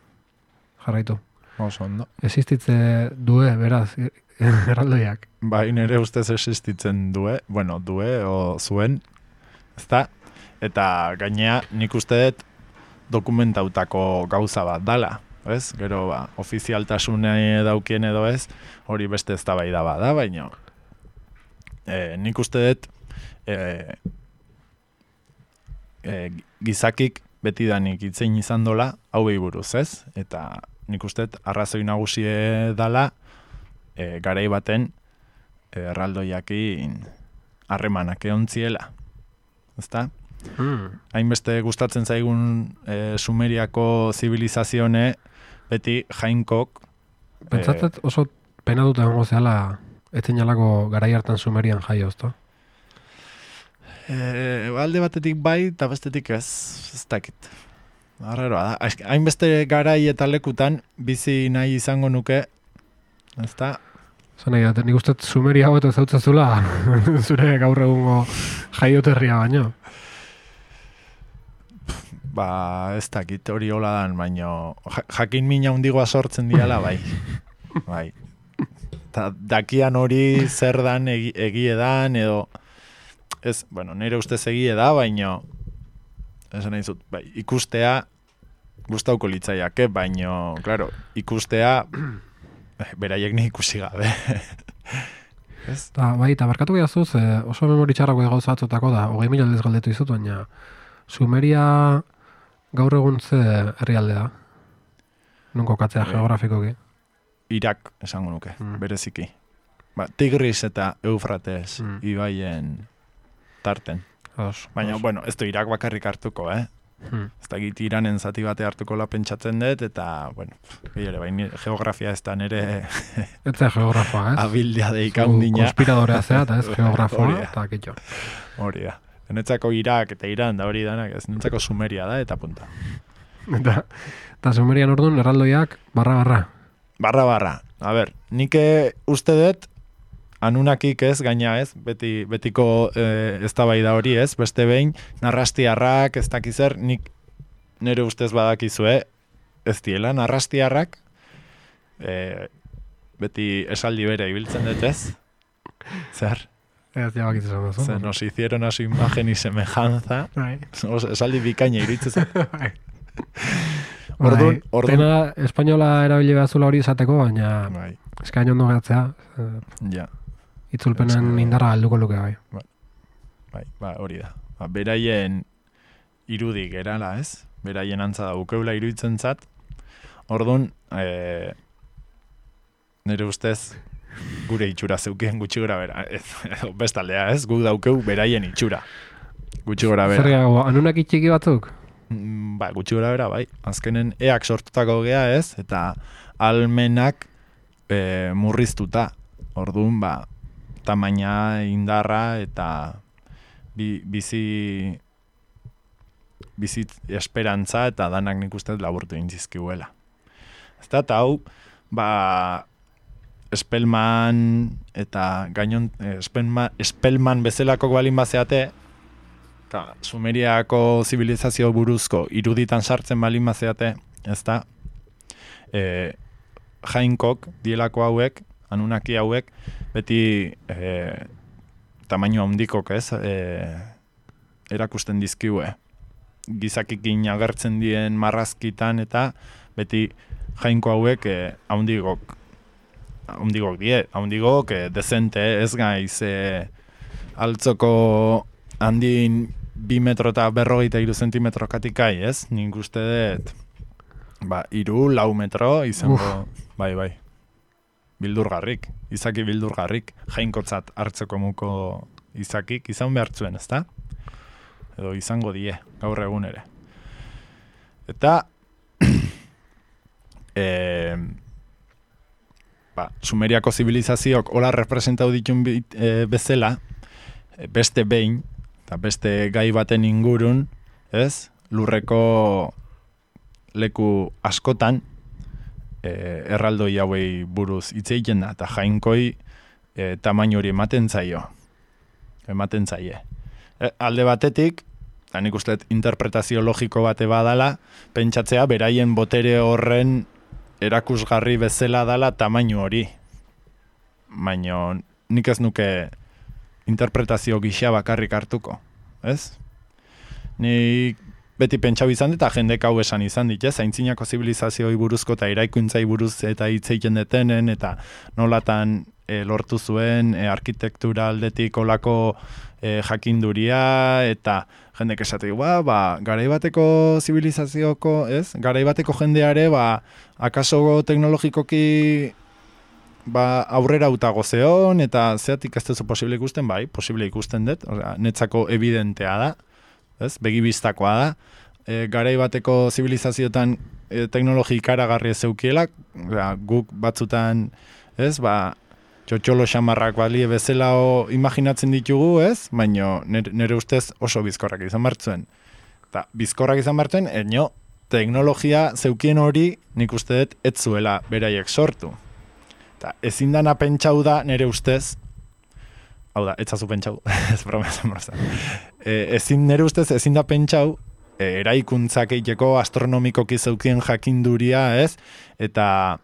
[SPEAKER 1] Jarraitu.
[SPEAKER 2] Oso ondo.
[SPEAKER 1] Existitze due, beraz, erraldoiak.
[SPEAKER 2] Bai, nire ustez existitzen due, bueno, due o zuen, ezta? Eta gainea nik uste dut dokumentautako gauza bat dala, ez? Gero, ba, ofizialtasune daukien edo ez, hori beste eztabaida bada, baina e, nik uste dut e, e, gizakik betidanik itzein izan dola, hauei buruz, ez? Eta nik uste dut arrazoi nagusie dala e, garai baten e, erraldoiakin harremanak eontziela, ezta?
[SPEAKER 1] Hmm.
[SPEAKER 2] Hainbeste gustatzen zaigun e, Sumeriako zibilizazione beti jainkok
[SPEAKER 1] Pentsatzet oso pena dut egongo zehala etzinalako garai hartan Sumerian jaio, ezta?
[SPEAKER 2] e, alde batetik bai eta bestetik ez, ez dakit. Arraroa da. Hainbeste garai eta lekutan bizi nahi izango nuke, ezta?
[SPEAKER 1] Zan nahi, nik uste Sumeria hau eta zautzazula zure gaur egungo jaioterria baino.
[SPEAKER 2] Ba, ez dakit hori hola dan, baino jakin mina hundigoa sortzen diala, bai. Bai. Ta, dakian hori zer dan egi, egie dan, edo ez, bueno, nire ustez egie da, baino esan nahi zut, bai, ikustea gustauko litzaiake, baino, claro, ikustea beraiek ni ikusi gabe. Ez?
[SPEAKER 1] Ta, bai, eta barkatu behazuz, eh, oso memoritxarrako gauza batzutako da, hogei mila aldez galdetu izut, baina Sumeria gaur egun ze herrialde da? Non kokatzea
[SPEAKER 2] E,
[SPEAKER 1] geografikoki?
[SPEAKER 2] Irak esango nuke,
[SPEAKER 1] Mm.
[SPEAKER 2] bereziki. Ba, Tigris eta Eufrates
[SPEAKER 1] Mm.
[SPEAKER 2] ibaien tarten.
[SPEAKER 1] Os,
[SPEAKER 2] Baina,
[SPEAKER 1] os.
[SPEAKER 2] bueno, ez du Irak bakarrik hartuko, eh?
[SPEAKER 1] Hmm.
[SPEAKER 2] Ez dakit Iranen zati bate hartuko la pentsatzen dut, eta, bueno, ere, baina geografia ez da nire
[SPEAKER 1] Ez da geografoa, ez?
[SPEAKER 2] abildia deika
[SPEAKER 1] Zu
[SPEAKER 2] undina.
[SPEAKER 1] konspiradorea zea, eta ez
[SPEAKER 2] Hori
[SPEAKER 1] geografoa,
[SPEAKER 2] da.
[SPEAKER 1] eta kitxo.
[SPEAKER 2] Hori da. Netzako Irak eta Iran da hori danak, ez netzako Sumeria da, eta punta.
[SPEAKER 1] Eta, eta Sumerian orduan erraldoiak barra-barra.
[SPEAKER 2] Barra-barra. A ber, nik uste dut, anunakik ez, gaina ez, beti, betiko e, eztabaida hori ez, beste behin, narrastiarrak, ez dakizer, nik nire ustez badakizue, ez diela, narrastiarrak, e, beti esaldi bere ibiltzen dut ez, zer?
[SPEAKER 1] Ez jabak izan duzu.
[SPEAKER 2] Se nos hicieron a su imagen y semejanza.
[SPEAKER 1] Bai.
[SPEAKER 2] Os- Esaldi bikaina iruditzen zait.
[SPEAKER 1] Bai.
[SPEAKER 2] Orduan,
[SPEAKER 1] Bai,
[SPEAKER 2] orduan.
[SPEAKER 1] Pena espainola erabili behazula hori izateko, baina
[SPEAKER 2] Bai,
[SPEAKER 1] eskain ondo gertzea, eh,
[SPEAKER 2] ja,
[SPEAKER 1] itzulpenen
[SPEAKER 2] Eske-
[SPEAKER 1] indarra alduko luke bai.
[SPEAKER 2] bai, ba, hori da. Ba, beraien irudik erala, ez? Beraien antza da ukeula iruditzen zat. Orduan, e, nire ustez, gure itxura zeukien gutxi gora bera. Ez, edo bestaldea, ez? Guk daukeu beraien itxura. Gutxi gora bera.
[SPEAKER 1] Zer gehiago, anunak itxiki batzuk?
[SPEAKER 2] Mm, Ba, gutxi gora bera, bai. Azkenen eak sortutako gea, ez? Eta almenak e, murriztuta. Orduan, ba, tamaina, indarra eta bi, bizi bizit esperantza eta danak nik uste dut laburtu intzizkiuela. Ezta, eta hau, ba, Spellman eta gainon, eh, Spellman, Spellman bezalako balin bazeate, eta Sumeriako zibilizazio buruzko iruditan sartzen balin bazeate, ezta, e, jainkok, dielako hauek, anunaki hauek, beti e, tamaino handikok, ez, e, erakusten dizkiue. Gizakikin agertzen dien marrazkitan eta beti jainko hauek e, haundigok haundigok die, haundigok e, dezente, ez gaiz e, altzoko handin bi metro eta berrogeita iru zentimetro katikai, ez? Nik uste dut ba, iru, lau metro izango, bai, bai. Bildurgarrik, izaki bildurgarrik, jainkotzat hartzeko muko izakik izan behartzuen, ezta? Edo izango die, gaur egun ere. Eta e, ba, Sumeriako zibilizazioak hola representau ditun bit, e, bezala, e, beste behin, eta beste gai baten ingurun, ez? Lurreko leku askotan, e, erraldoi hauei buruz hitz egiten da, eta jainkoi e, tamaino hori ematen zaio. Ematen zaie. E, alde batetik, eta nik uste dut interpretazio logiko bate badala, pentsatzea beraien botere horren erakusgarri bezala dala tamaino hori. Baina nik ez nuke interpretazio gisa bakarrik hartuko, ez? Nik beti pentsau izan dit, eta jendek hau esan izan dit, ez? Aintzinako zibilizazioi buruzko eta eraikuntzai buruz eta hitz egiten detenen, eta nolatan e, lortu zuen e, arkitektura aldetik olako e, jakinduria, eta jendek esate, ba, ba, garaibateko zibilizazioko, ez? Garaibateko jendeare, ba, akaso teknologikoki ba, aurrera utago zeon, eta zeatik ez duzu posible ikusten, bai, posible ikusten dut, osea, netzako evidentea da, ez? Begibistakoa da, e, garai bateko zibilizazioetan e, teknologi ikaragarri ez zeukielak, osea, guk batzutan, ez, ba, txotxolo xamarrak balie bezala o, imaginatzen ditugu, ez? Baina nire, nire ustez oso bizkorrak izan martzuen. Eta bizkorrak izan martzuen, eno, teknologia zeukien hori nik uste dut ez zuela beraiek sortu. Eta ezin dana pentsau da nire ustez, hau da, etzazu pentsau, ez broma esan broma. E, ezin nire ustez ezin da pentsau, e, eraikuntzak eiteko astronomikoki zeukien jakinduria, ez? Eta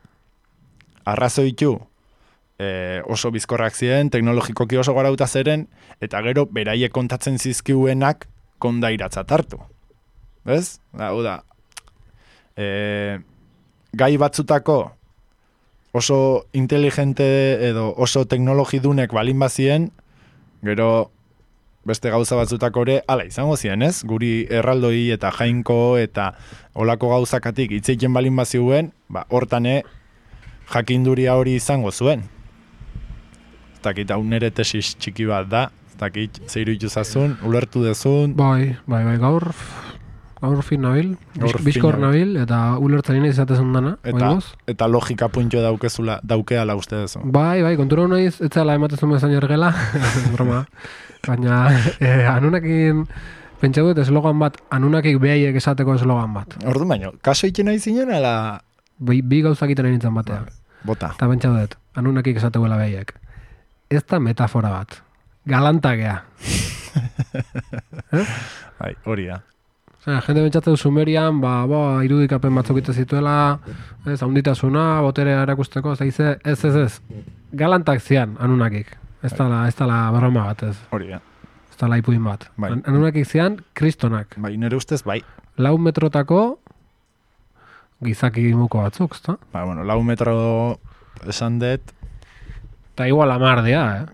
[SPEAKER 2] arrazoitu, e, oso bizkorrak ziren, teknologikoki oso garauta zeren, eta gero beraiek kontatzen zizkiuenak kondairatza hartu. Ez? Hau da, e, gai batzutako oso inteligente edo oso teknologidunek balin bazien, gero beste gauza batzutako ere, ala izango ziren, ez? Guri erraldoi eta jainko eta olako gauzakatik hitzeiten balin baziuen, ba, hortane jakinduria hori izango zuen. Ez dakit, hau nire tesis txiki bat da, ez dakit, zeiru ituzazun, ulertu dezun.
[SPEAKER 1] Bai, bai, bai, gaur, gaur fin nabil, bizkor nabil, eta ulertzen ina izatezun dana.
[SPEAKER 2] Eta, eta logika puntio daukezula, daukeala uste dezu.
[SPEAKER 1] Bai, bai, kontura naiz, etzela ematezun bezan ergela, broma. Baina, eh, anunakin, pentsa dut eslogan bat, anunakik behaiek esateko eslogan bat.
[SPEAKER 2] Ordu baino, kaso ikin nahi zinen, ala...
[SPEAKER 1] Bi, bi gauzak iten nintzen batean.
[SPEAKER 2] Bota.
[SPEAKER 1] Eta pentsa dut, anunakik esatekoela behaiek. Ez da metafora bat. Galantakea. eh?
[SPEAKER 2] Bai, hori da.
[SPEAKER 1] Osea, jende pentsatzen Sumerian, ba, ba, irudikapen batzuk ite zituela, ez, haunditasuna, boterea erakusteko, zaize, ez, ez, ez. Galantak zian, anunakik. Ez dala, ez dala broma bat, ez.
[SPEAKER 2] Hori da.
[SPEAKER 1] Ez dala ipuin bat.
[SPEAKER 2] Bai.
[SPEAKER 1] Anunakik zian, kristonak.
[SPEAKER 2] Bai, nire ustez, bai.
[SPEAKER 1] Lau metrotako gizaki muko batzuk, ezta?
[SPEAKER 2] Ba, bueno, lau metro esan dut.
[SPEAKER 1] Eta igual amar dea, eh?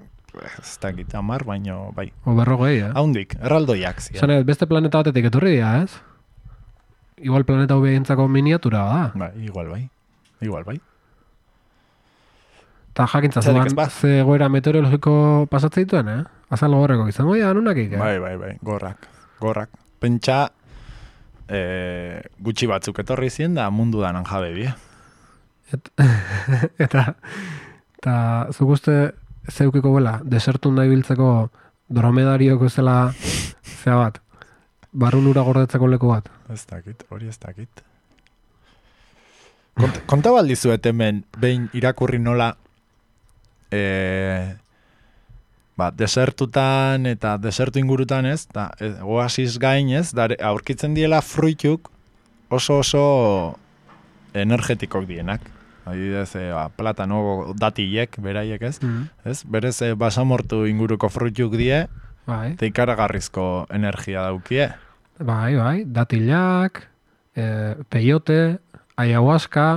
[SPEAKER 2] Ez dakit amar, baino, bai.
[SPEAKER 1] O berrogei, eh?
[SPEAKER 2] Haundik, erraldoiak zian.
[SPEAKER 1] Zane, beste planeta batetik etorri dira, ez? Igual planeta hobeentzako miniatura da.
[SPEAKER 2] Bai, igual bai. Igual bai.
[SPEAKER 1] Eta jakintza zuan, ze goera meteorologiko pasatzen dituen, eh? Azal gorreko izango dira, anunakik, eh?
[SPEAKER 2] Bai, bai, bai, gorrak, gorrak. Pentsa, e, gutxi batzuk etorri zien da mundu danan jabe bie.
[SPEAKER 1] Et, eta, eta zuk uste zeukiko bela, desertun nahi biltzeko dromedarioko zela zea bat, barrun ura gordetzeko leku bat.
[SPEAKER 2] Ez dakit, hori ez dakit. Kont, konta baldizuet hemen, behin irakurri nola, e, ba, desertutan eta desertu ingurutan ez, eta e, oasis gain ez, dare, aurkitzen diela fruituk oso oso energetikok dienak. Adibidez, e, ba, platano datilek, beraiek ez, mm. ez? Berez, e, basamortu inguruko fruituk die,
[SPEAKER 1] bai.
[SPEAKER 2] Eta ikaragarrizko energia daukie.
[SPEAKER 1] Bai, bai, datilak, e, peyote, ayahuasca...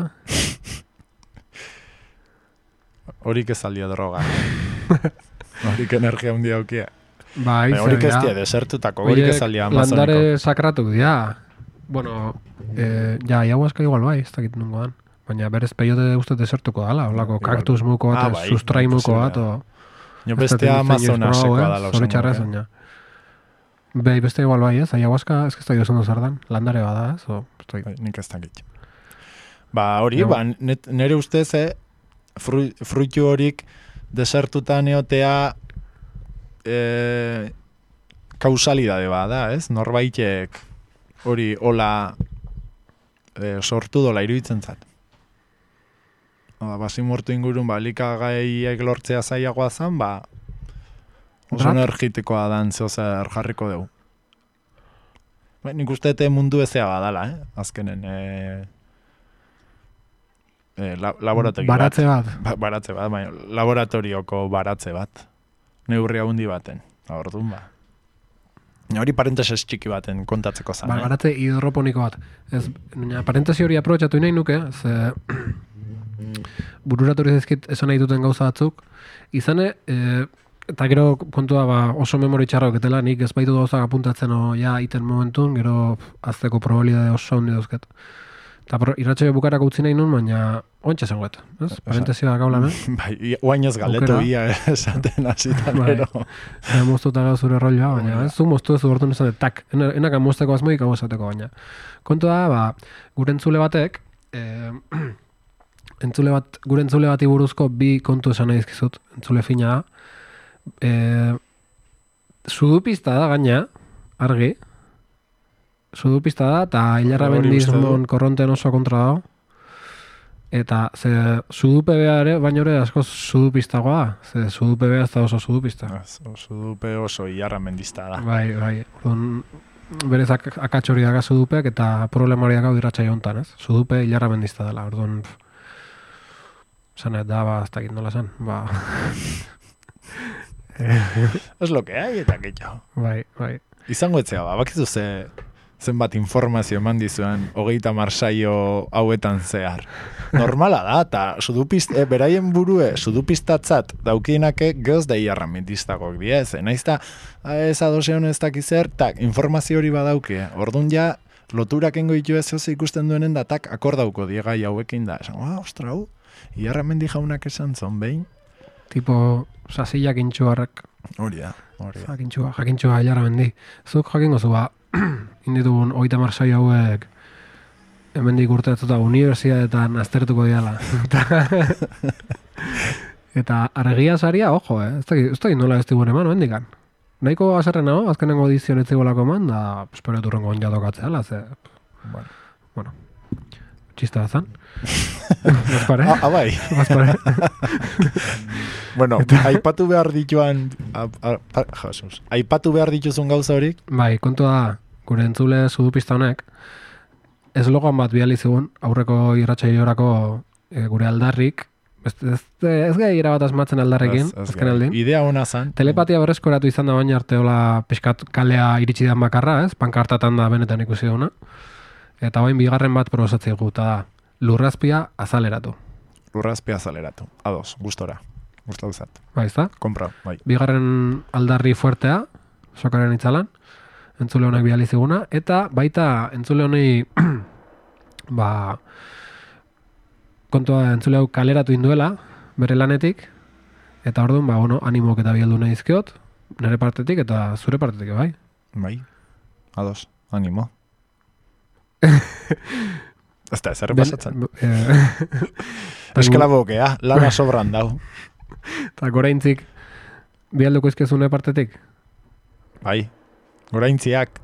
[SPEAKER 2] Horik ez aldia droga. Horik energia hundi daukia.
[SPEAKER 1] Bai,
[SPEAKER 2] horik ez dia desertutako, horik ez aldia amazoniko.
[SPEAKER 1] Landare sakratuk dira. Bueno, eh, ja, ayahuasca igual bai, ez dakit nungo dan. Baina berez peyote uste desertuko dala, holako kaktus muko bat, ah, bai, sustrai muko bat, o...
[SPEAKER 2] Jo bestea amazonasekoa dala.
[SPEAKER 1] Zoritxarra zen, ja. Bai, beste igual bai, ez? Ayahuasca, ez que ez da jozen duzardan. Landare bada, ez? O,
[SPEAKER 2] bai, nik ez dakit. Ba, hori, ba, nire ustez, eh, Fru, fruitu horik desertutan eotea e, kausalidade bada, ez? Norbaitek hori hola e, sortu dola iruditzen zat. Basimortu ingurun, ba, likagaiek lortzea zaiagoa zan, ba, oso energitikoa dan zehozer jarriko dugu. Ba, nik uste mundu ezea badala, eh? Azkenen, eh, Eh, la, laborategi
[SPEAKER 1] baratze bat.
[SPEAKER 2] Ba, baratze bat, baina laboratorioko baratze bat. Neurri handi baten. Ordun ba. Hori parenteses txiki baten kontatzeko zan,
[SPEAKER 1] Ba,
[SPEAKER 2] eh?
[SPEAKER 1] garatze hidroponiko bat. Ez, baina parentesi hori aprobetxatu nahi nuke, ze bururatu zaizkit esan nahi duten gauza batzuk, izane, e, eta gero kontua ba, oso memori txarra oketela, nik ez baitu gauzak apuntatzen o ja iten momentun, gero azteko probabilidade oso handi dauzket. Eta irratxaio bukarako utzi nahi nun, baina ontsa zenguet, ez? Parentesia gaulan, eh?
[SPEAKER 2] Bai, guain ez galdetu ia esaten hasitan,
[SPEAKER 1] Bai.
[SPEAKER 2] pero...
[SPEAKER 1] Eta moztuta gau zure rolloa, baina ez, zu moztu ez urtun esan, tak, ena- enaka mozteko azmoik hau esateko baina. Kontua da, ba, gure entzule batek, eh, entzule bat, gure entzule bati buruzko bi kontu esan nahi dizkizut, entzule fina da. Eh, sudupista da gaina, argi, sudupista da, eta hilarra
[SPEAKER 2] Hori uste
[SPEAKER 1] bendizmon
[SPEAKER 2] du.
[SPEAKER 1] korronten oso kontra dago. Eta, ze, sudupe bea ere, baina ere asko sudupistagoa da. Ze, sudupe bea ez da oso sudupista.
[SPEAKER 2] Oso dupe oso iarra mendizta da.
[SPEAKER 1] Bai, bai. Orduan, berez ak akats hori daga sudupeak eta problema hori daga irratsaio hontan, ez? Sudupe hilarra mendizta dela. Orduan, esan ez da, ba, ez dakit nola esan. Ba,
[SPEAKER 2] Es lo que hay eta gehiago.
[SPEAKER 1] bai, bai.
[SPEAKER 2] Izango etzea, ba, bakizu ze zenbat informazio eman dizuen hogeita marsaio hauetan zehar. Normala da, eta sudupist, e, beraien burue sudupistatzat daukienake geoz da iarra mentiztagok diez. E, naizta, ez adoseon ez dakizer, tak, informazio hori badauke. Orduan ja, loturak engo ditu ez oso ikusten duenen da, tak, akordauko diegai hauekin da. Esan, ah, ostra, hau, iarra mendi jaunak esan zon behin.
[SPEAKER 1] Tipo, sasillak intxuarrak.
[SPEAKER 2] Hori da, hori da.
[SPEAKER 1] Jakintxua, jakintxua hilarra mendi. Zuk jakingo zu, ba, inditugun oita marsaio hauek hemendik urteatuta unibertsitateetan aztertuko diala. Eta argia saria, ojo, eh? Ez dakit, ez dakit nola ez digune eman, hendikan. Nahiko azerren hau, azkenengo edizion ez zigolako eman, da espero turrengo onja tokatzea, ze,
[SPEAKER 2] Bueno.
[SPEAKER 1] bueno, txista bazan. Bazpare?
[SPEAKER 2] Ah, ah, bai.
[SPEAKER 1] Bazpare.
[SPEAKER 2] Bueno, aipatu behar dituan, a, a, a, Jesus, aipatu behar dituzun gauza horik,
[SPEAKER 1] Bai, kontua da, gure entzule sudupista honek, eslogan bat bidali zigun, aurreko irratsaioorako e, gure aldarrik, ez, ez, ez gai irabat asmatzen aldarrekin,
[SPEAKER 2] ez- ez
[SPEAKER 1] azken
[SPEAKER 2] gai.
[SPEAKER 1] aldin.
[SPEAKER 2] Idea ona zan.
[SPEAKER 1] Telepatia berreskoratu izan da baina arte hola pixkat kalea iritsi da makarra, ez? Pankartatan da benetan ikusi duna. Eta bain bigarren bat probosatzea guta da, lurrazpia azaleratu.
[SPEAKER 2] Lurrazpia azaleratu. Ados, gustora. Gustatu zat.
[SPEAKER 1] Bai, ez da?
[SPEAKER 2] Kompra, bai.
[SPEAKER 1] Bigarren aldarri fuertea, sokaren itzalan, entzule honek bidali ziguna, eta baita entzule honei ba, kontua entzule hau kaleratu induela, bere lanetik, eta orduan, ba, bueno, animok eta bieldu nahi izkiot, nire partetik eta zure partetik, bai?
[SPEAKER 2] Bai. Ados, animo. Ez da, ezer pasatzen.
[SPEAKER 1] Eh,
[SPEAKER 2] Esklabokea, lana sobran dau.
[SPEAKER 1] Eta goraintzik bialduko izkezune partetik?
[SPEAKER 2] Bai. Goraintziak,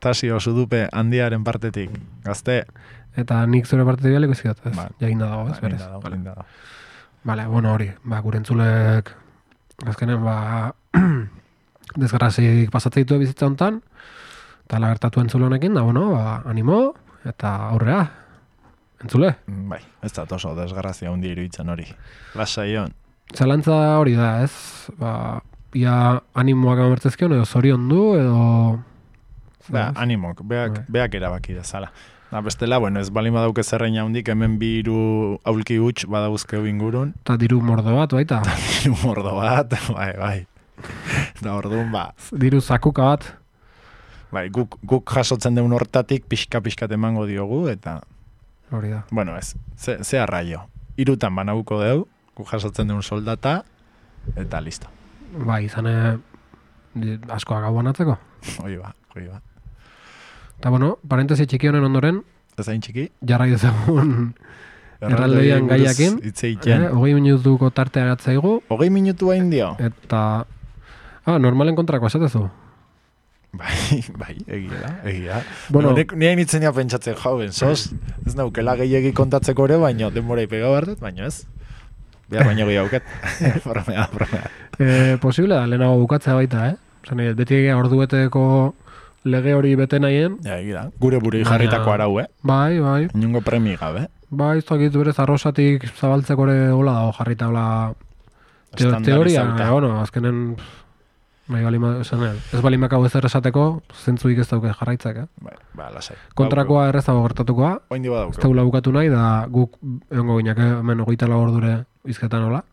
[SPEAKER 2] tasio sudupe handiaren partetik. Gazte.
[SPEAKER 1] Eta nik zure partetik bialduko izkiot, ez?
[SPEAKER 2] Bai.
[SPEAKER 1] Jaginda dago, ez,
[SPEAKER 2] Ba,
[SPEAKER 1] berez?
[SPEAKER 2] linda dau,
[SPEAKER 1] Vale.
[SPEAKER 2] linda dau.
[SPEAKER 1] Vale, bueno, hori, ba, gure entzulek azkenen, ba, desgrazik pasatzen ditu bizitza hontan, eta lagertatu entzule honekin, da, bueno, ba, animo, eta aurrea, entzule.
[SPEAKER 2] Bai, ez da oso desgrazia hundi iruditzen hori. Lasaion.
[SPEAKER 1] Zalantza hori da, ez? Ba, ia animoak amertzezkion, edo zorion du, edo...
[SPEAKER 2] Ba,
[SPEAKER 1] Ez?
[SPEAKER 2] animok, beak,
[SPEAKER 1] Bai.
[SPEAKER 2] beak erabaki dezala. Da, bestela, bueno, ez balin badauke zerreina hundik, hemen bi hiru aulki huts badauzkeu ingurun.
[SPEAKER 1] Eta diru mordo bat, baita.
[SPEAKER 2] Diru mordo bat, bai, bai. Da, orduan, ba,
[SPEAKER 1] Diru zakuka bat.
[SPEAKER 2] bai, guk, guk jasotzen deun hortatik pixka-pixkat emango diogu, eta,
[SPEAKER 1] Hori da.
[SPEAKER 2] bueno, ez, ze, ze arraio. Irutan banauko deu, guk jasotzen deun soldata, eta listo.
[SPEAKER 1] Bai, izane askoa gau banatzeko.
[SPEAKER 2] Hoi ba, hoi ba.
[SPEAKER 1] Eta bueno, parentesi txiki honen ondoren,
[SPEAKER 2] Ez hain txiki?
[SPEAKER 1] jarrai dezagun erraldoian
[SPEAKER 2] buruz
[SPEAKER 1] gaiakin.
[SPEAKER 2] hitz egiten.
[SPEAKER 1] Eh, hogei minutuko tartea gatzaigu,
[SPEAKER 2] Hogei minutu hain dio?
[SPEAKER 1] eta... Ah, normalen kontrako esatezu.
[SPEAKER 2] Bai, bai, egia da, egia.
[SPEAKER 1] Bueno.
[SPEAKER 2] Bueno, nik nire nitzenia pentsatzen jauen, sos, ez naukela gehiagi kontatzeko ere, baino, denbora ipega behar dut, baino ez. Behar baino gehiagoket. Bromea, bromea.
[SPEAKER 1] Eh, posible da, lehenago bukatzea baita, eh? Zan, beti egia ordueteko lege hori bete nahien.
[SPEAKER 2] Ja, egia da. Gure burui
[SPEAKER 1] Baina-
[SPEAKER 2] jarritako arau, eh?
[SPEAKER 1] Bai, bai.
[SPEAKER 2] Inungo premi gabe.
[SPEAKER 1] Bai, ez dakit berez arrosatik zabaltzeko ere hola dago jarrita hola teo, teoria,
[SPEAKER 2] Estandarizauta.
[SPEAKER 1] eh, bueno, azkenen pff, Bai, balima, esan, ez balimako ezer esateko, zentzuik ez dauke jarraitzak, eh?
[SPEAKER 2] Bai, ba, lasai.
[SPEAKER 1] Kontrakoa errezago gertatukoa,
[SPEAKER 2] Oindi
[SPEAKER 1] ez
[SPEAKER 2] badauko.
[SPEAKER 1] tegula bukatu nahi, da guk egongo ginak hemen hogeita lau ordure izketan hola.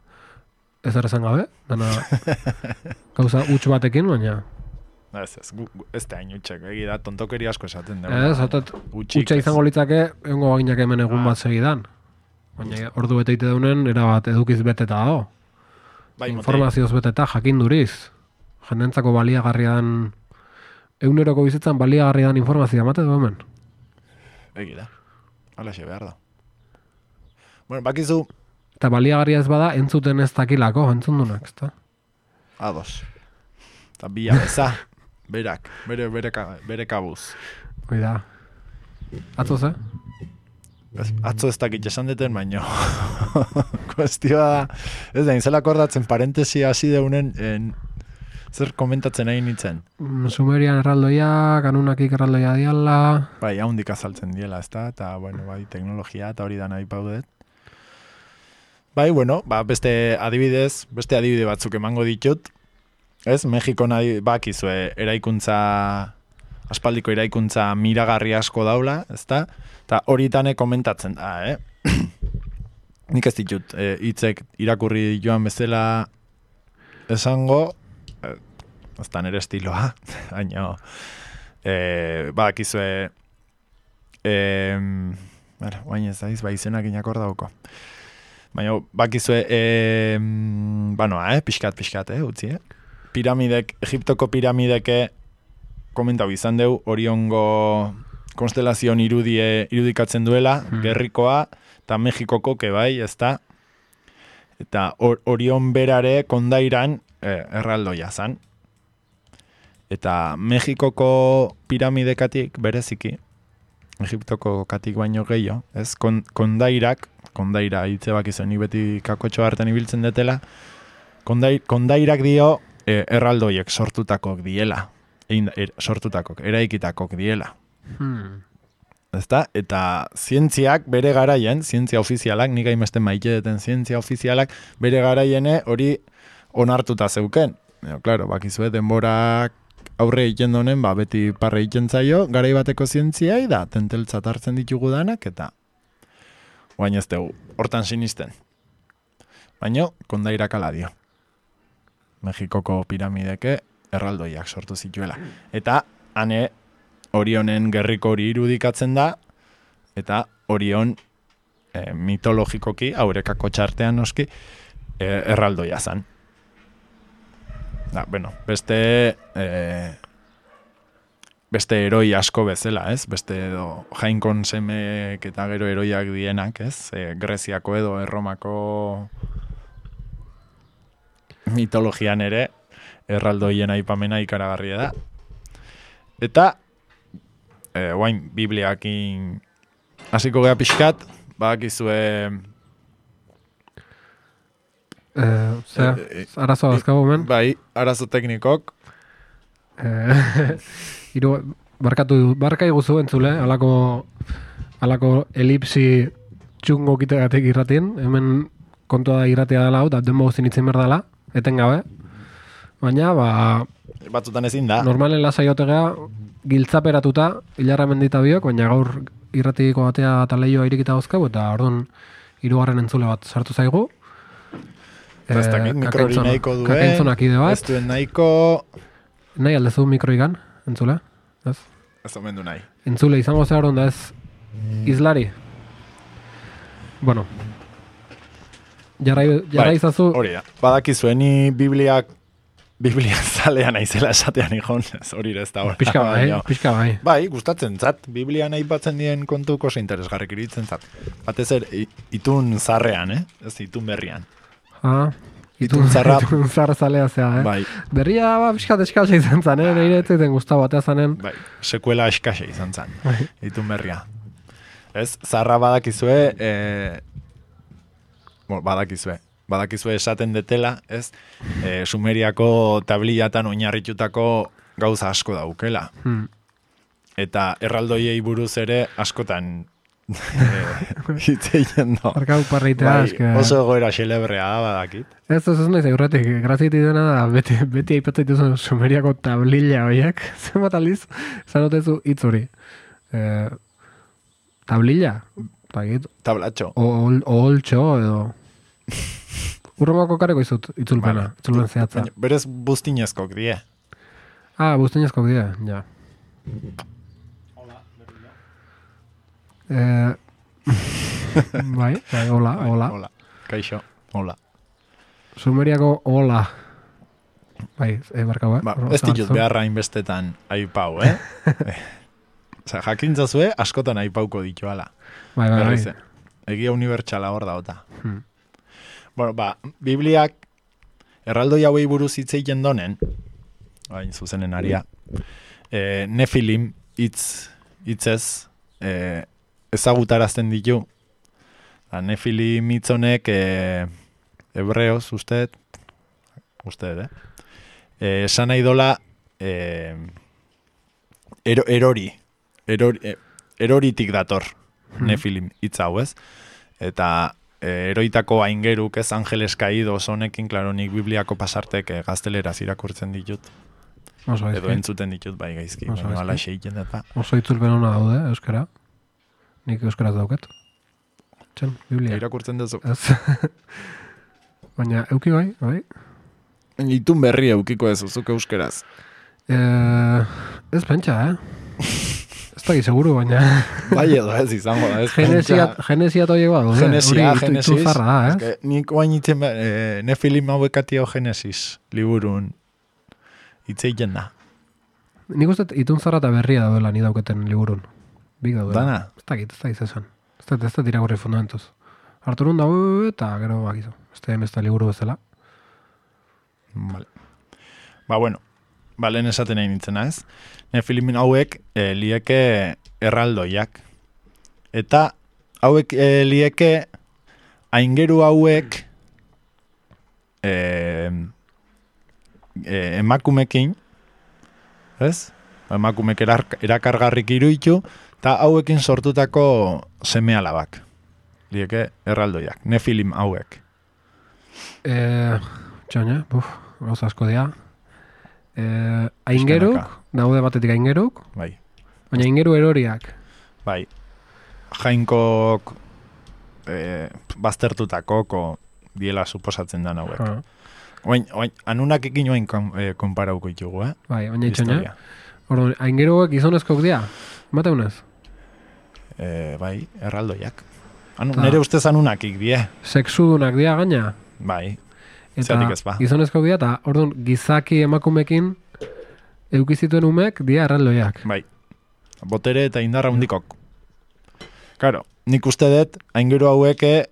[SPEAKER 1] Ez errezan gabe, dana gauza huts batekin, baina...
[SPEAKER 2] Ez, ez, gu, gu, ez da hain utxek, egi da, tontokeri asko esaten.
[SPEAKER 1] Ez, otot, hutsa izango litzake, egongo baginak hemen egun bat segidan. Baina ordu bete ite daunen, erabat edukiz beteta dago.
[SPEAKER 2] Bai,
[SPEAKER 1] Informazioz beteta, jakinduriz. Jendentzako baliagarrian, eguneroko bizitzan baliagarrian informazioa mate du hemen.
[SPEAKER 2] Egi da, alaxe behar da. Bueno, bakizu...
[SPEAKER 1] Eta baliagarria ez bada, entzuten ez dakilako, entzundunak, ezta?
[SPEAKER 2] Ados. Eta bia beza, berak, bere, bere, bere kabuz.
[SPEAKER 1] Hoi da. Atzo ze?
[SPEAKER 2] Ez, atzo ez dakit esan deten, baino. Kuestioa da, ez da, inzela akordatzen parentesia hasi deunen, en, zer komentatzen nahi nintzen.
[SPEAKER 1] Sumerian erraldoia, kanunakik erraldoia diala...
[SPEAKER 2] Bai, haundik azaltzen diela, ez da, eta, bueno, bai, teknologia, eta hori da nahi paudet. Bai, bueno, ba, beste adibidez, beste adibide batzuk emango ditut, ez, Mexikon bakizue eraikuntza, aspaldiko eraikuntza miragarri asko daula, ez da, eta horitane komentatzen da, eh? Nik ez ditut, e, hitzek irakurri joan bezala esango, e, ez da nere estiloa, baina, e, bakizue, e, bueno, baina ez daiz, ba, izenak inakor dauko. Baina, bakizue, e, banoa, eh, pixkat, pixkat, eh, utzi, eh? Piramidek, Egiptoko piramideke komentau izan deu, Oriongo konstelazion irudie irudikatzen duela, hmm. Gerrikoa, eta Mexikoko kebai, ezta? Eta or, Orion berare kondairan eh, erraldoia zan. Eta Mexikoko piramidekatik bereziki, Egiptoko katik baino gehiago, ez? Kon, kondairak, kondaira hitze bakizuen beti kakotxo hartan ibiltzen detela, kondai, kondairak dio e, erraldoiek sortutakok diela, egin, er, sortutakok, eraikitakok diela.
[SPEAKER 1] Hmm.
[SPEAKER 2] Ezta? Eta zientziak bere garaien, zientzia ofizialak, nik hainbeste maite deten zientzia ofizialak, bere garaiene hori onartuta zeuken. Eo, claro, bakizue denborak aurre egiten donen, ba, beti parre egiten zaio, garai bateko zientziai da, tenteltzat hartzen ditugu danak, eta guain ez dugu, hortan sinisten. Baina, kondairak ala dio. Mexikoko piramideke erraldoiak sortu zituela. Eta, hane, Orionen gerriko hori irudikatzen da, eta Orion e, mitologikoki, aurekako txartean noski, e, erraldoia zan. Da, bueno, beste e, beste heroi asko bezala, ez? Beste edo jainkon semek eta gero heroiak dienak, ez? E, Greziako edo Erromako mitologian ere erraldoien aipamena ikaragarria da. Eta E, guain, Bibliakin hasiko gea pixkat, bakizue...
[SPEAKER 1] E, Zea, e, arazo azkago men?
[SPEAKER 2] Bai, arazo teknikok.
[SPEAKER 1] E, iru, barkatu, barka iguzu entzule, alako, alako elipsi txungo kitegatik irratien, hemen kontua da irratia dela hau, da denbo guztin itzen berdala, etengabe. Baina, ba...
[SPEAKER 2] Batzutan ezin da.
[SPEAKER 1] Normalen lasaiotegea, giltzaperatuta, hilarra mendita biok, baina gaur irratiko batea eta lehioa irikita dauzkau, eta orduan hirugarren entzule bat sartu zaigu.
[SPEAKER 2] Ez dakit, mikrori nahiko duen,
[SPEAKER 1] kakaintzonak ide bat.
[SPEAKER 2] ez duen nahiko...
[SPEAKER 1] Nahi aldezu mikroigan, entzule? Ez?
[SPEAKER 2] Ez omendu nahi.
[SPEAKER 1] Entzule, izango zehar onda ez izlari. Bueno. Jarrai, jarrai
[SPEAKER 2] bai,
[SPEAKER 1] izazu...
[SPEAKER 2] Hori da, badakizuen ni Bibliak Biblia zalea naizela esatean ikon, ez hori ez da hori.
[SPEAKER 1] Pixka bai, pixka bai.
[SPEAKER 2] Bai, gustatzen zat, Biblian aipatzen dien kontuko oso interesgarrik iritzen zat. Batez ere, itun zarrean, eh? Ez itun berrian.
[SPEAKER 1] Ah,
[SPEAKER 2] itun zarra.
[SPEAKER 1] Itun zarra zalea zea, eh?
[SPEAKER 2] Bai.
[SPEAKER 1] Berria, ba, pixkat eskasa izan zan, eh? Neire etzaiten guztau batea zanen.
[SPEAKER 2] Bai, sekuela eskasa izan zan, itun berria. Ez, zarra badakizue, eh, bueno, badakizue. Badakizue esaten detela, ez, e, Sumeriako tablillatan oinarritutako gauza asko daukela. Hmm. Eta erraldoiei buruz ere askotan hitzeien do.
[SPEAKER 1] Arkau parreitea,
[SPEAKER 2] Bai,
[SPEAKER 1] eske...
[SPEAKER 2] oso egoera xelebrea da badakit.
[SPEAKER 1] Ez, ez, ez nahi zaurretik, graziti dena da, beti, beti aipatzen dituzun Sumeriako tablilla horiek, zenbat aldiz, zanotezu hitz hori. Eh, tablilla? Bagit,
[SPEAKER 2] Tablatxo.
[SPEAKER 1] oholtxo edo... Urrengoko kareko izut, itzulpena,
[SPEAKER 2] Vale.
[SPEAKER 1] itzulpen zehatza.
[SPEAKER 2] Baina, berez buztinezkok die.
[SPEAKER 1] Ah, buztinezko dira, ja. Eh, bai, bai, hola,
[SPEAKER 2] Bai,
[SPEAKER 1] hola.
[SPEAKER 2] Hola. Kaixo, hola.
[SPEAKER 1] Sumeriako hola. Bai, eh, barkau, eh?
[SPEAKER 2] Ba,
[SPEAKER 1] Hor-
[SPEAKER 2] ez ditut
[SPEAKER 1] zahartzu.
[SPEAKER 2] beharra inbestetan aipau, eh? Osa, jakintzazue, askotan aipauko dituala.
[SPEAKER 1] Bai, bai, bai.
[SPEAKER 2] Berriz, eh? Egia unibertsala hor dauta.
[SPEAKER 1] Hmm.
[SPEAKER 2] Bueno, ba, Bibliak erraldoi hauei buruz hitz egiten donen, hain zuzenen aria, e, Nefilim hitz hitzez e, ezagutarazten ditu. Da, Nefilim hitz honek e, hebreoz, usted, usted, eh? E, esan nahi dola e, ero, erori, erori, e, eroritik dator Nefilim hitz hau, ez? Eta e, eroitako aingeruk ez Angeles Caídos honekin, klaro, nik Bibliako pasartek e, gazteleraz irakurtzen ditut.
[SPEAKER 1] Oso
[SPEAKER 2] Edo
[SPEAKER 1] gaizki.
[SPEAKER 2] entzuten ditut bai gaizki.
[SPEAKER 1] Oso
[SPEAKER 2] Bueno,
[SPEAKER 1] gaizki.
[SPEAKER 2] ala xeiken eta.
[SPEAKER 1] Oso itzulpen hona daude, euskara. Nik euskaraz dauket. Txen, Biblia.
[SPEAKER 2] Irakurtzen duzu.
[SPEAKER 1] Ez. Baina, euki bai, bai.
[SPEAKER 2] Itun berri eukiko ez uzuk euskeraz.
[SPEAKER 1] Eh, ez pentsa, eh? Ez da seguru, baina...
[SPEAKER 2] Bai edo ez izango da. Ez
[SPEAKER 1] Genesiat, genesiat horiek bat, daude.
[SPEAKER 2] Genesia,
[SPEAKER 1] Hori itu-
[SPEAKER 2] Genesis.
[SPEAKER 1] ituzarra da, ez?
[SPEAKER 2] Eske, nik oain itzen, e, Nefilim hauekatio Genesis liburun itzeiten da.
[SPEAKER 1] Nik uste itun zarra eta berria dauela ni dauketen liburun. Bik daudela.
[SPEAKER 2] Dana?
[SPEAKER 1] Ez dakit, ez da izan. Ez da, ez da tiragorri fundamentuz. Arturun da, eta gero bakizu. Ez da ez da liburu bezala.
[SPEAKER 2] Vale. Ba, bueno. Ba, lehen esaten nahi nintzena ez. Nefilimin hauek e, lieke erraldoiak. Eta hauek e, lieke aingeru hauek e, e, emakumekin, ez? Emakumek erar, erakargarrik iruitu, eta hauekin sortutako seme alabak. Lieke erraldoiak. Nefilim hauek.
[SPEAKER 1] E, txoina, buf, gauza asko dira. E, aingeruk, daude batetik aingeruk,
[SPEAKER 2] Bai.
[SPEAKER 1] baina aingeru eroriak.
[SPEAKER 2] Bai, jainkok e, baztertutakoko diela suposatzen da hauek.
[SPEAKER 1] Ha,
[SPEAKER 2] Oain, oain, anunak ekin oain kon, e, konparauko ditugu, eh?
[SPEAKER 1] bai, baina itxoina.
[SPEAKER 2] Historia.
[SPEAKER 1] Orduan, aingeruak gizonezkoak dira. Mateunez?
[SPEAKER 2] E, bai, erraldoiak. Anu,
[SPEAKER 1] Ta.
[SPEAKER 2] nere ustez anunakik die.
[SPEAKER 1] Sexudunak dira gaina.
[SPEAKER 2] Bai,
[SPEAKER 1] Eta
[SPEAKER 2] Zergatik ez ba.
[SPEAKER 1] gizonezkoak dira, eta orduan, gizaki emakumekin eukizituen umek dira erraldoiak.
[SPEAKER 2] bai. Botere eta indarra hundikok. Karo, nik uste dut, aingeru haueke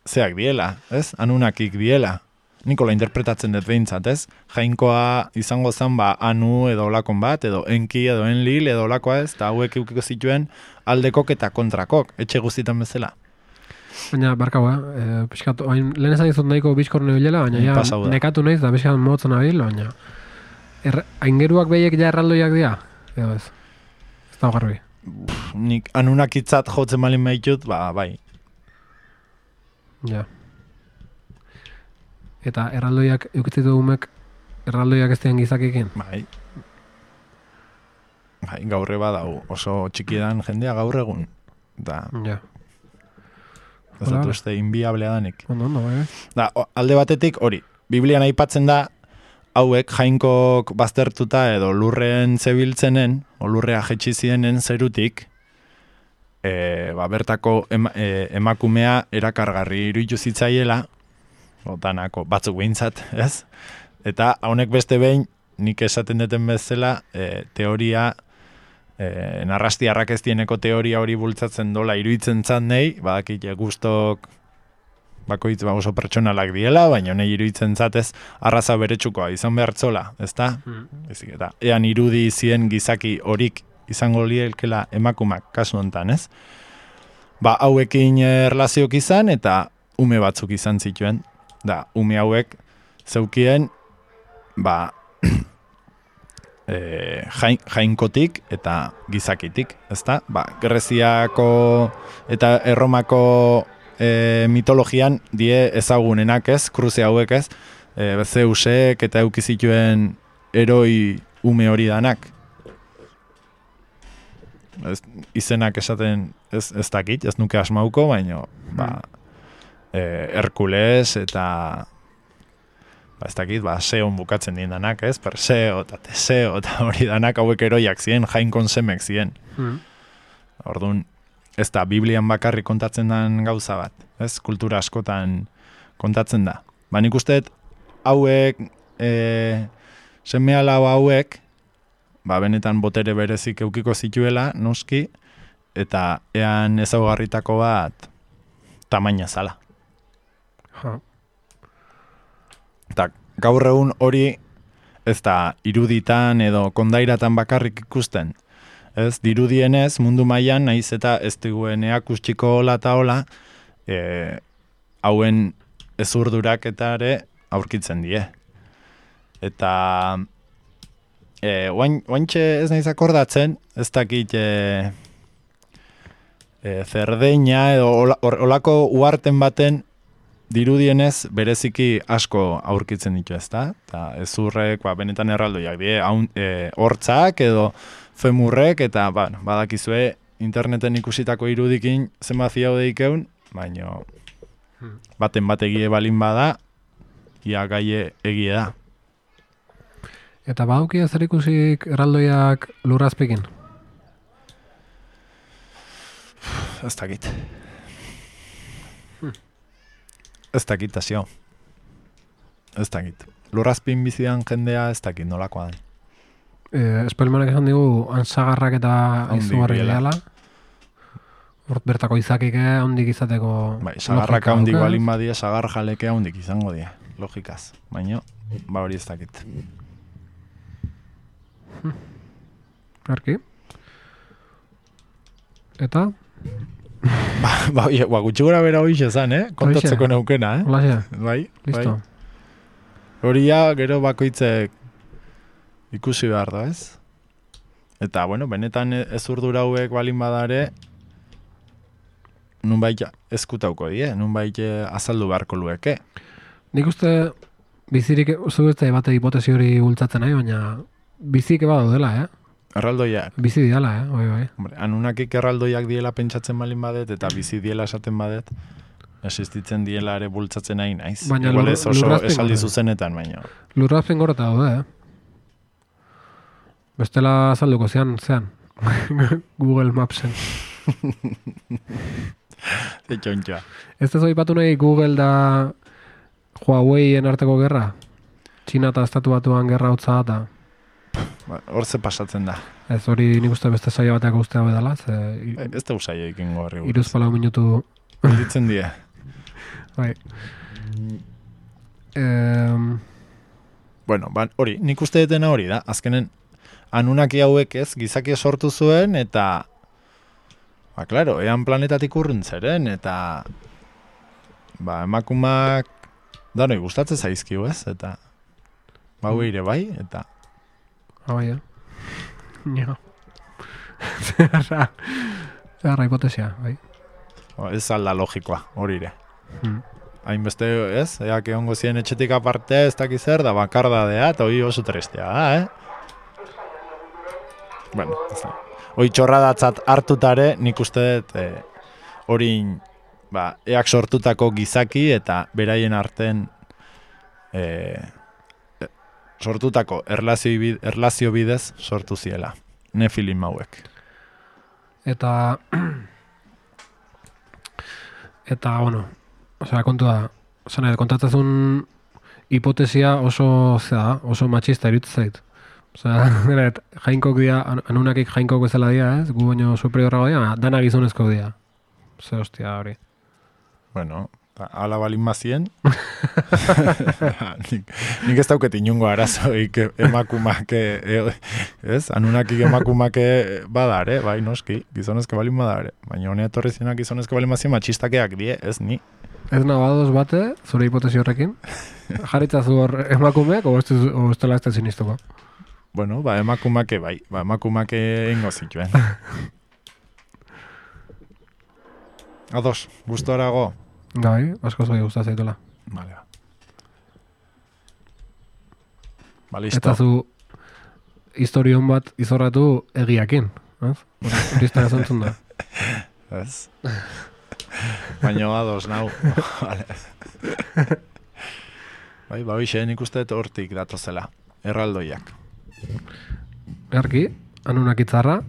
[SPEAKER 2] zeak diela, ez? Anunakik diela. Nikola interpretatzen dut behintzat, ez? Jainkoa izango zen, ba, anu edo olakon bat, edo enki, edo enlil, edo olakoa ez, eta hauek eukiko zituen aldekok eta kontrakok, etxe guztietan bezala.
[SPEAKER 1] Baina, barkau, eh? E, piskat, oain, lehen esan dizut nahiko bizkorne bilela, baina ja,
[SPEAKER 2] Pasau da.
[SPEAKER 1] nekatu naiz, da piskat motzen abil, baina... Er, aingeruak behiek ja erraldoiak dira? Edo ez? Ez da garbi.
[SPEAKER 2] Nik anunakitzat jotzen malin behitut, ba, bai.
[SPEAKER 1] Ja. Eta erraldoiak eukitzitu umek erraldoiak ez dian gizakekin.
[SPEAKER 2] Bai. Bai, gaurre badau, oso txikiedan jendea gaur egun. Da,
[SPEAKER 1] Ja.
[SPEAKER 2] ez
[SPEAKER 1] Hola,
[SPEAKER 2] dut
[SPEAKER 1] hola.
[SPEAKER 2] uste inbiablea danik.
[SPEAKER 1] Ondo, ondo, bai.
[SPEAKER 2] Da, o- alde batetik hori, Biblian aipatzen da, hauek jainkok baztertuta edo lurrean zebiltzenen, o lurrea jetxi zienen zerutik, e, ba, bertako ema, e, emakumea erakargarri iruditu zitzaiela, o, danako batzuk behintzat, ez? Eta honek beste behin, nik esaten duten bezala, e, teoria, e, narrastiarrak ez dieneko teoria hori bultzatzen dola iruditzen zan nahi, badakit gustok bakoitz ba oso pertsonalak diela, baina nahi iruditzen zatez arraza beretsukoa izan behartzola, ezta? Ezik eta ean irudi zien gizaki horik izango lielkela emakumak kasu hontan, ez? Ba, hauekin erlaziok izan eta ume batzuk izan zituen. Da, ume hauek zeukien ba e, jain, jainkotik eta gizakitik, ezta? Ba, Greziako eta Erromako e, mitologian die ezagunenak ez, kruze hauek ez, e, Zeusek eta eukizituen eroi ume hori danak. Ez, izenak esaten ez, ez dakit, ez nuke asmauko, baina ba, e, Herkules eta ba, ez dakit, ba, Zeon bukatzen dien danak, ez? Perseo eta Teseo eta hori danak hauek eroiak ziren, jainkon semek ziren. Mm. Orduan, ez da, Biblian bakarrik kontatzen den gauza bat, ez? Kultura askotan kontatzen da. Ba, nik usteet, hauek, e, seme alau hauek, ba, benetan botere berezik eukiko zituela, noski, eta ean ezaugarritako bat tamaina zala.
[SPEAKER 1] Ha.
[SPEAKER 2] Eta gaur egun hori ez da iruditan edo kondairatan bakarrik ikusten. Ez, dirudienez mundu mailan naiz eta ez digueneak ustiko hola eta hola, e, hauen ezurdurak eta ere aurkitzen die. Eta e, oain, oaintxe ez naiz akordatzen, ez dakit e, e, Zerdeina edo olako uarten baten dirudienez bereziki asko aurkitzen ditu, ezta? Eta ezurrek, ba, benetan erraldoiak die, haun, e, hortzak edo femurrek, eta ba, badakizue interneten ikusitako irudikin zenbat ziaudeik egun, baina baten bat egie balin bada, ia gaie egie da.
[SPEAKER 1] Eta badauki zer ikusik erraldoiak lurrazpekin?
[SPEAKER 2] Ez dakit. Hmm. Ez dakit, azio. Ez dakit. Lurrazpin bizidan jendea ez dakit nolakoa den.
[SPEAKER 1] Eh, Espelmanek esan digu, antzagarrak eta izugarri dela. Hort bertako izakik handik izateko...
[SPEAKER 2] Bai, sagarrak handik balin badia, sagar jaleke handik izango dia, logikaz. Baina, ba hori ez dakit.
[SPEAKER 1] Hmm. Arki? Eta?
[SPEAKER 2] ba, ba, ba, gutxi gora bera hoiz ezan, eh? Kontatzeko neukena, eh?
[SPEAKER 1] Hola,
[SPEAKER 2] bai,
[SPEAKER 1] listo.
[SPEAKER 2] Bai. Horia, gero bakoitzek ikusi behar da, ez? Eta, bueno, benetan ez urdura hauek balin badare, nunbait eskutauko die, nunbait azaldu beharko lueke.
[SPEAKER 1] Nik uste bizirik zuetzea bate hipotesi hori bultzatzen nahi, baina bizik eba dela, eh?
[SPEAKER 2] Erraldoiak.
[SPEAKER 1] Bizi diala, eh? Bai, bai.
[SPEAKER 2] Hombre, anunakik erraldoiak diela pentsatzen balin badet, eta bizi diela esaten badet, existitzen diela ere bultzatzen nahi naiz.
[SPEAKER 1] Baina
[SPEAKER 2] igual ez oso esaldi
[SPEAKER 1] gore.
[SPEAKER 2] zuzenetan, baina.
[SPEAKER 1] Lurrazpen gorota daude, eh? Bestela azalduko zean, zean. Google Mapsen.
[SPEAKER 2] Zetxontxoa.
[SPEAKER 1] Ez ez oipatu nahi Google da Huawei-en arteko gerra? Txina eta estatu batuan gerra hotza eta...
[SPEAKER 2] Ba, hor ze pasatzen da.
[SPEAKER 1] Ez hori nik uste beste saio bateak ustea bedala. Ze,
[SPEAKER 2] e, ez da usaio ikingo horri.
[SPEAKER 1] Iruz palau minutu...
[SPEAKER 2] Ditzen die.
[SPEAKER 1] Bai. Um...
[SPEAKER 2] Bueno, ba, hori, nik uste detena hori da. Azkenen, anunaki hauek ez, gizaki sortu zuen, eta... Ba, klaro, ean planetatik urruntzeren, eta... Ba, emakumak... Danoi, gustatzen zaizkiu ez, eta... Ba, mm. ere bai, eta...
[SPEAKER 1] Ah, bai, eh? Ja. Zerra... Zerra hipotesia, bai.
[SPEAKER 2] O, ez alda logikoa, hori ere.
[SPEAKER 1] Hmm.
[SPEAKER 2] Hainbeste, ez? Eak egongo ziren etxetik aparte, ez dakiz zer, da bakardadea, eta hori oso trestea da, eh? Bueno, ez da. Hoi txorradatzat hartutare, nik uste dut, eh, hori, ba, eak sortutako gizaki, eta beraien arten, eh, sortutako erlazio, bid, erlazio bidez sortu ziela. Nefilim hauek.
[SPEAKER 1] Eta... Eta, bueno, osea, kontu da, zena, kontatzezun hipotesia oso, zera, oso machista irutu zait. Osea, geret, jainkok dia, anunakik jainkok bezala dia, ez? Gu baino superiorrago dia, dana gizonezko dia. Zer hostia hori.
[SPEAKER 2] Bueno, ala balin mazien. nik, nik ez dauket inungo arazoik emakumake, ez? Anunakik emakumake badare, bai noski, gizonezke balin badare. Baina honea etorri zinak gizonezke balin mazien matxistakeak die, ez ni.
[SPEAKER 1] Ez nabadoz bate, zure hipotesi horrekin? Jarritzazu hor emakumeak, o ez dela ez da sinistuko?
[SPEAKER 2] Bueno, ba, emakumake bai. Ba, emakumake ingo zituen. Ados, gustorago.
[SPEAKER 1] Bai, asko zoi guztat zaitola.
[SPEAKER 2] Vale. Ba, listo.
[SPEAKER 1] Eta zu historion bat izorratu egiakin. Ez? Hori izan ezantzun da.
[SPEAKER 2] Ez. Baina ados, nau. Vale. Bai, ba, hoxe, nik uste hortik datozela. Erraldoiak.
[SPEAKER 1] Erki, anunak itzarra.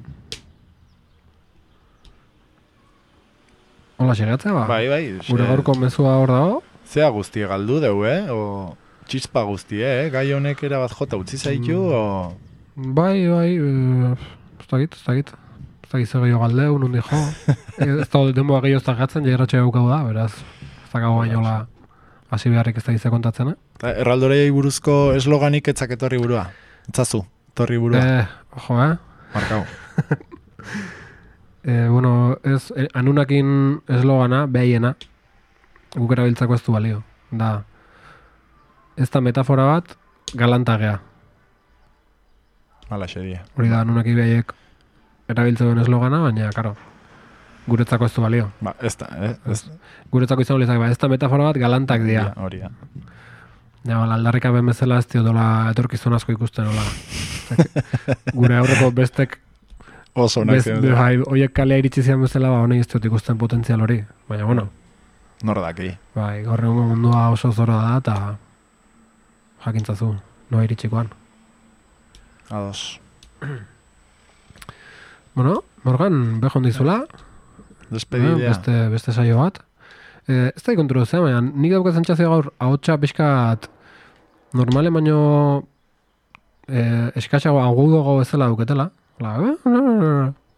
[SPEAKER 1] Hola, segatzea, ba?
[SPEAKER 2] Bai, bai.
[SPEAKER 1] Gure gaurko mezua hor dago.
[SPEAKER 2] Zea guztie galdu deu, eh? O txispa guztie, eh? Gai honek erabat jota utzi zaitu, mm. o...
[SPEAKER 1] Bai, bai, e, ez dakit, ez dakit. Ez dakit zer gehiago galdeu, nundi jo. Ez da denboa gehiago ez dakatzen, jairratxe gaukau da, beraz. Ez dakago bainola hasi beharrik ez da gizte kontatzen, eh?
[SPEAKER 2] Erraldorei buruzko esloganik etzak etorri burua. Etzazu, etorri burua.
[SPEAKER 1] Eh, ojo, eh?
[SPEAKER 2] Markau.
[SPEAKER 1] eh, bueno, ez, eh, anunakin eslogana, behaiena, guk erabiltzako ez du balio. Da, ez da metafora bat, galantagea.
[SPEAKER 2] Hala xedia.
[SPEAKER 1] Hori da, anunaki behaiek erabiltzen eslogana, baina, karo, guretzako ez du balio.
[SPEAKER 2] Ba, ez da, eh? Ez...
[SPEAKER 1] Guretzako izan olizak, ba, ez da metafora bat, galantak dira.
[SPEAKER 2] Hori da.
[SPEAKER 1] Ja, bala, aldarrika ben bezala ez dio dola etorkizun asko ikusten, hola. Gure aurreko bestek
[SPEAKER 2] oso onak ziren.
[SPEAKER 1] Bai, oiek kalea iritsi zian bezala, ba, honei ez dut ikusten potentzial hori. Baina, bueno.
[SPEAKER 2] Nor daki.
[SPEAKER 1] Bai, gaur egun mundua oso zora da, eta jakintzazu, noa iritsikoan.
[SPEAKER 2] Ados.
[SPEAKER 1] Bueno, Morgan, bejon dizula.
[SPEAKER 2] Despedidea.
[SPEAKER 1] Beste, beste saio bat. Eh, ez da ikonturu zea, baina nik daukatzen txazio gaur ahotsa pixkat normale baino eh, eskatxago agudogo bezala duketela. Hola,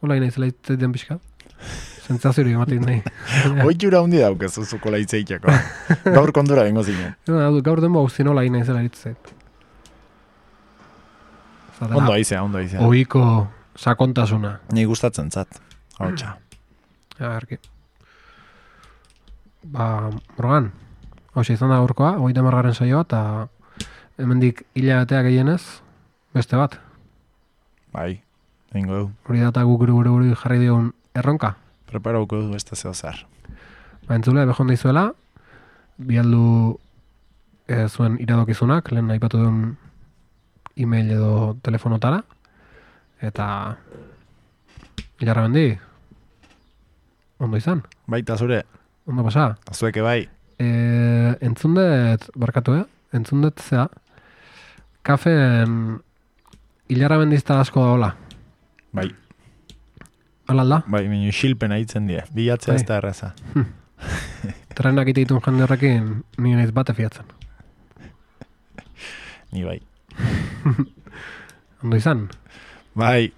[SPEAKER 1] hola ina izela itzaiten pixkat. Zentzaziorik ematen nahi.
[SPEAKER 2] Oitura hundi daukezu zuko laitzeiteko. Gaur kondura bengo zinen.
[SPEAKER 1] Gaur denbo hauzin hola ina izela itzait.
[SPEAKER 2] Ondo aizea, ondo aizea.
[SPEAKER 1] Oiko sakontasuna.
[SPEAKER 2] Ni gustatzen zat, ahotsa.
[SPEAKER 1] Ja, erki. Ba, Morgan, hauxe izan da gaurkoa, hogeita hamargarren saioa, eta hemendik hilabetea gehienez, beste bat.
[SPEAKER 2] Bai, egingo du.
[SPEAKER 1] Hori data guk gure gure gure jarri dion erronka.
[SPEAKER 2] Preparauko du beste zeo zer.
[SPEAKER 1] Ba, entzule, behon dizuela, bialdu e, zuen iradokizunak, lehen aipatu duen e-mail edo telefonotara, eta hilarra bendi, ondo izan.
[SPEAKER 2] Baita zure.
[SPEAKER 1] Ondo pasa.
[SPEAKER 2] Azueke bai.
[SPEAKER 1] E, entzundet, barkatu, eh? Entzundet zea, kafen hilarra bendizta asko da hola.
[SPEAKER 2] Bai.
[SPEAKER 1] Hala alda?
[SPEAKER 2] Bai, minu xilpena hitzen die. Bilatzea ez da erraza.
[SPEAKER 1] Hm. Trenak iteitun jende horrekin ni naiz bate fiatzen.
[SPEAKER 2] Ni bai.
[SPEAKER 1] Ondo izan?
[SPEAKER 2] Bai.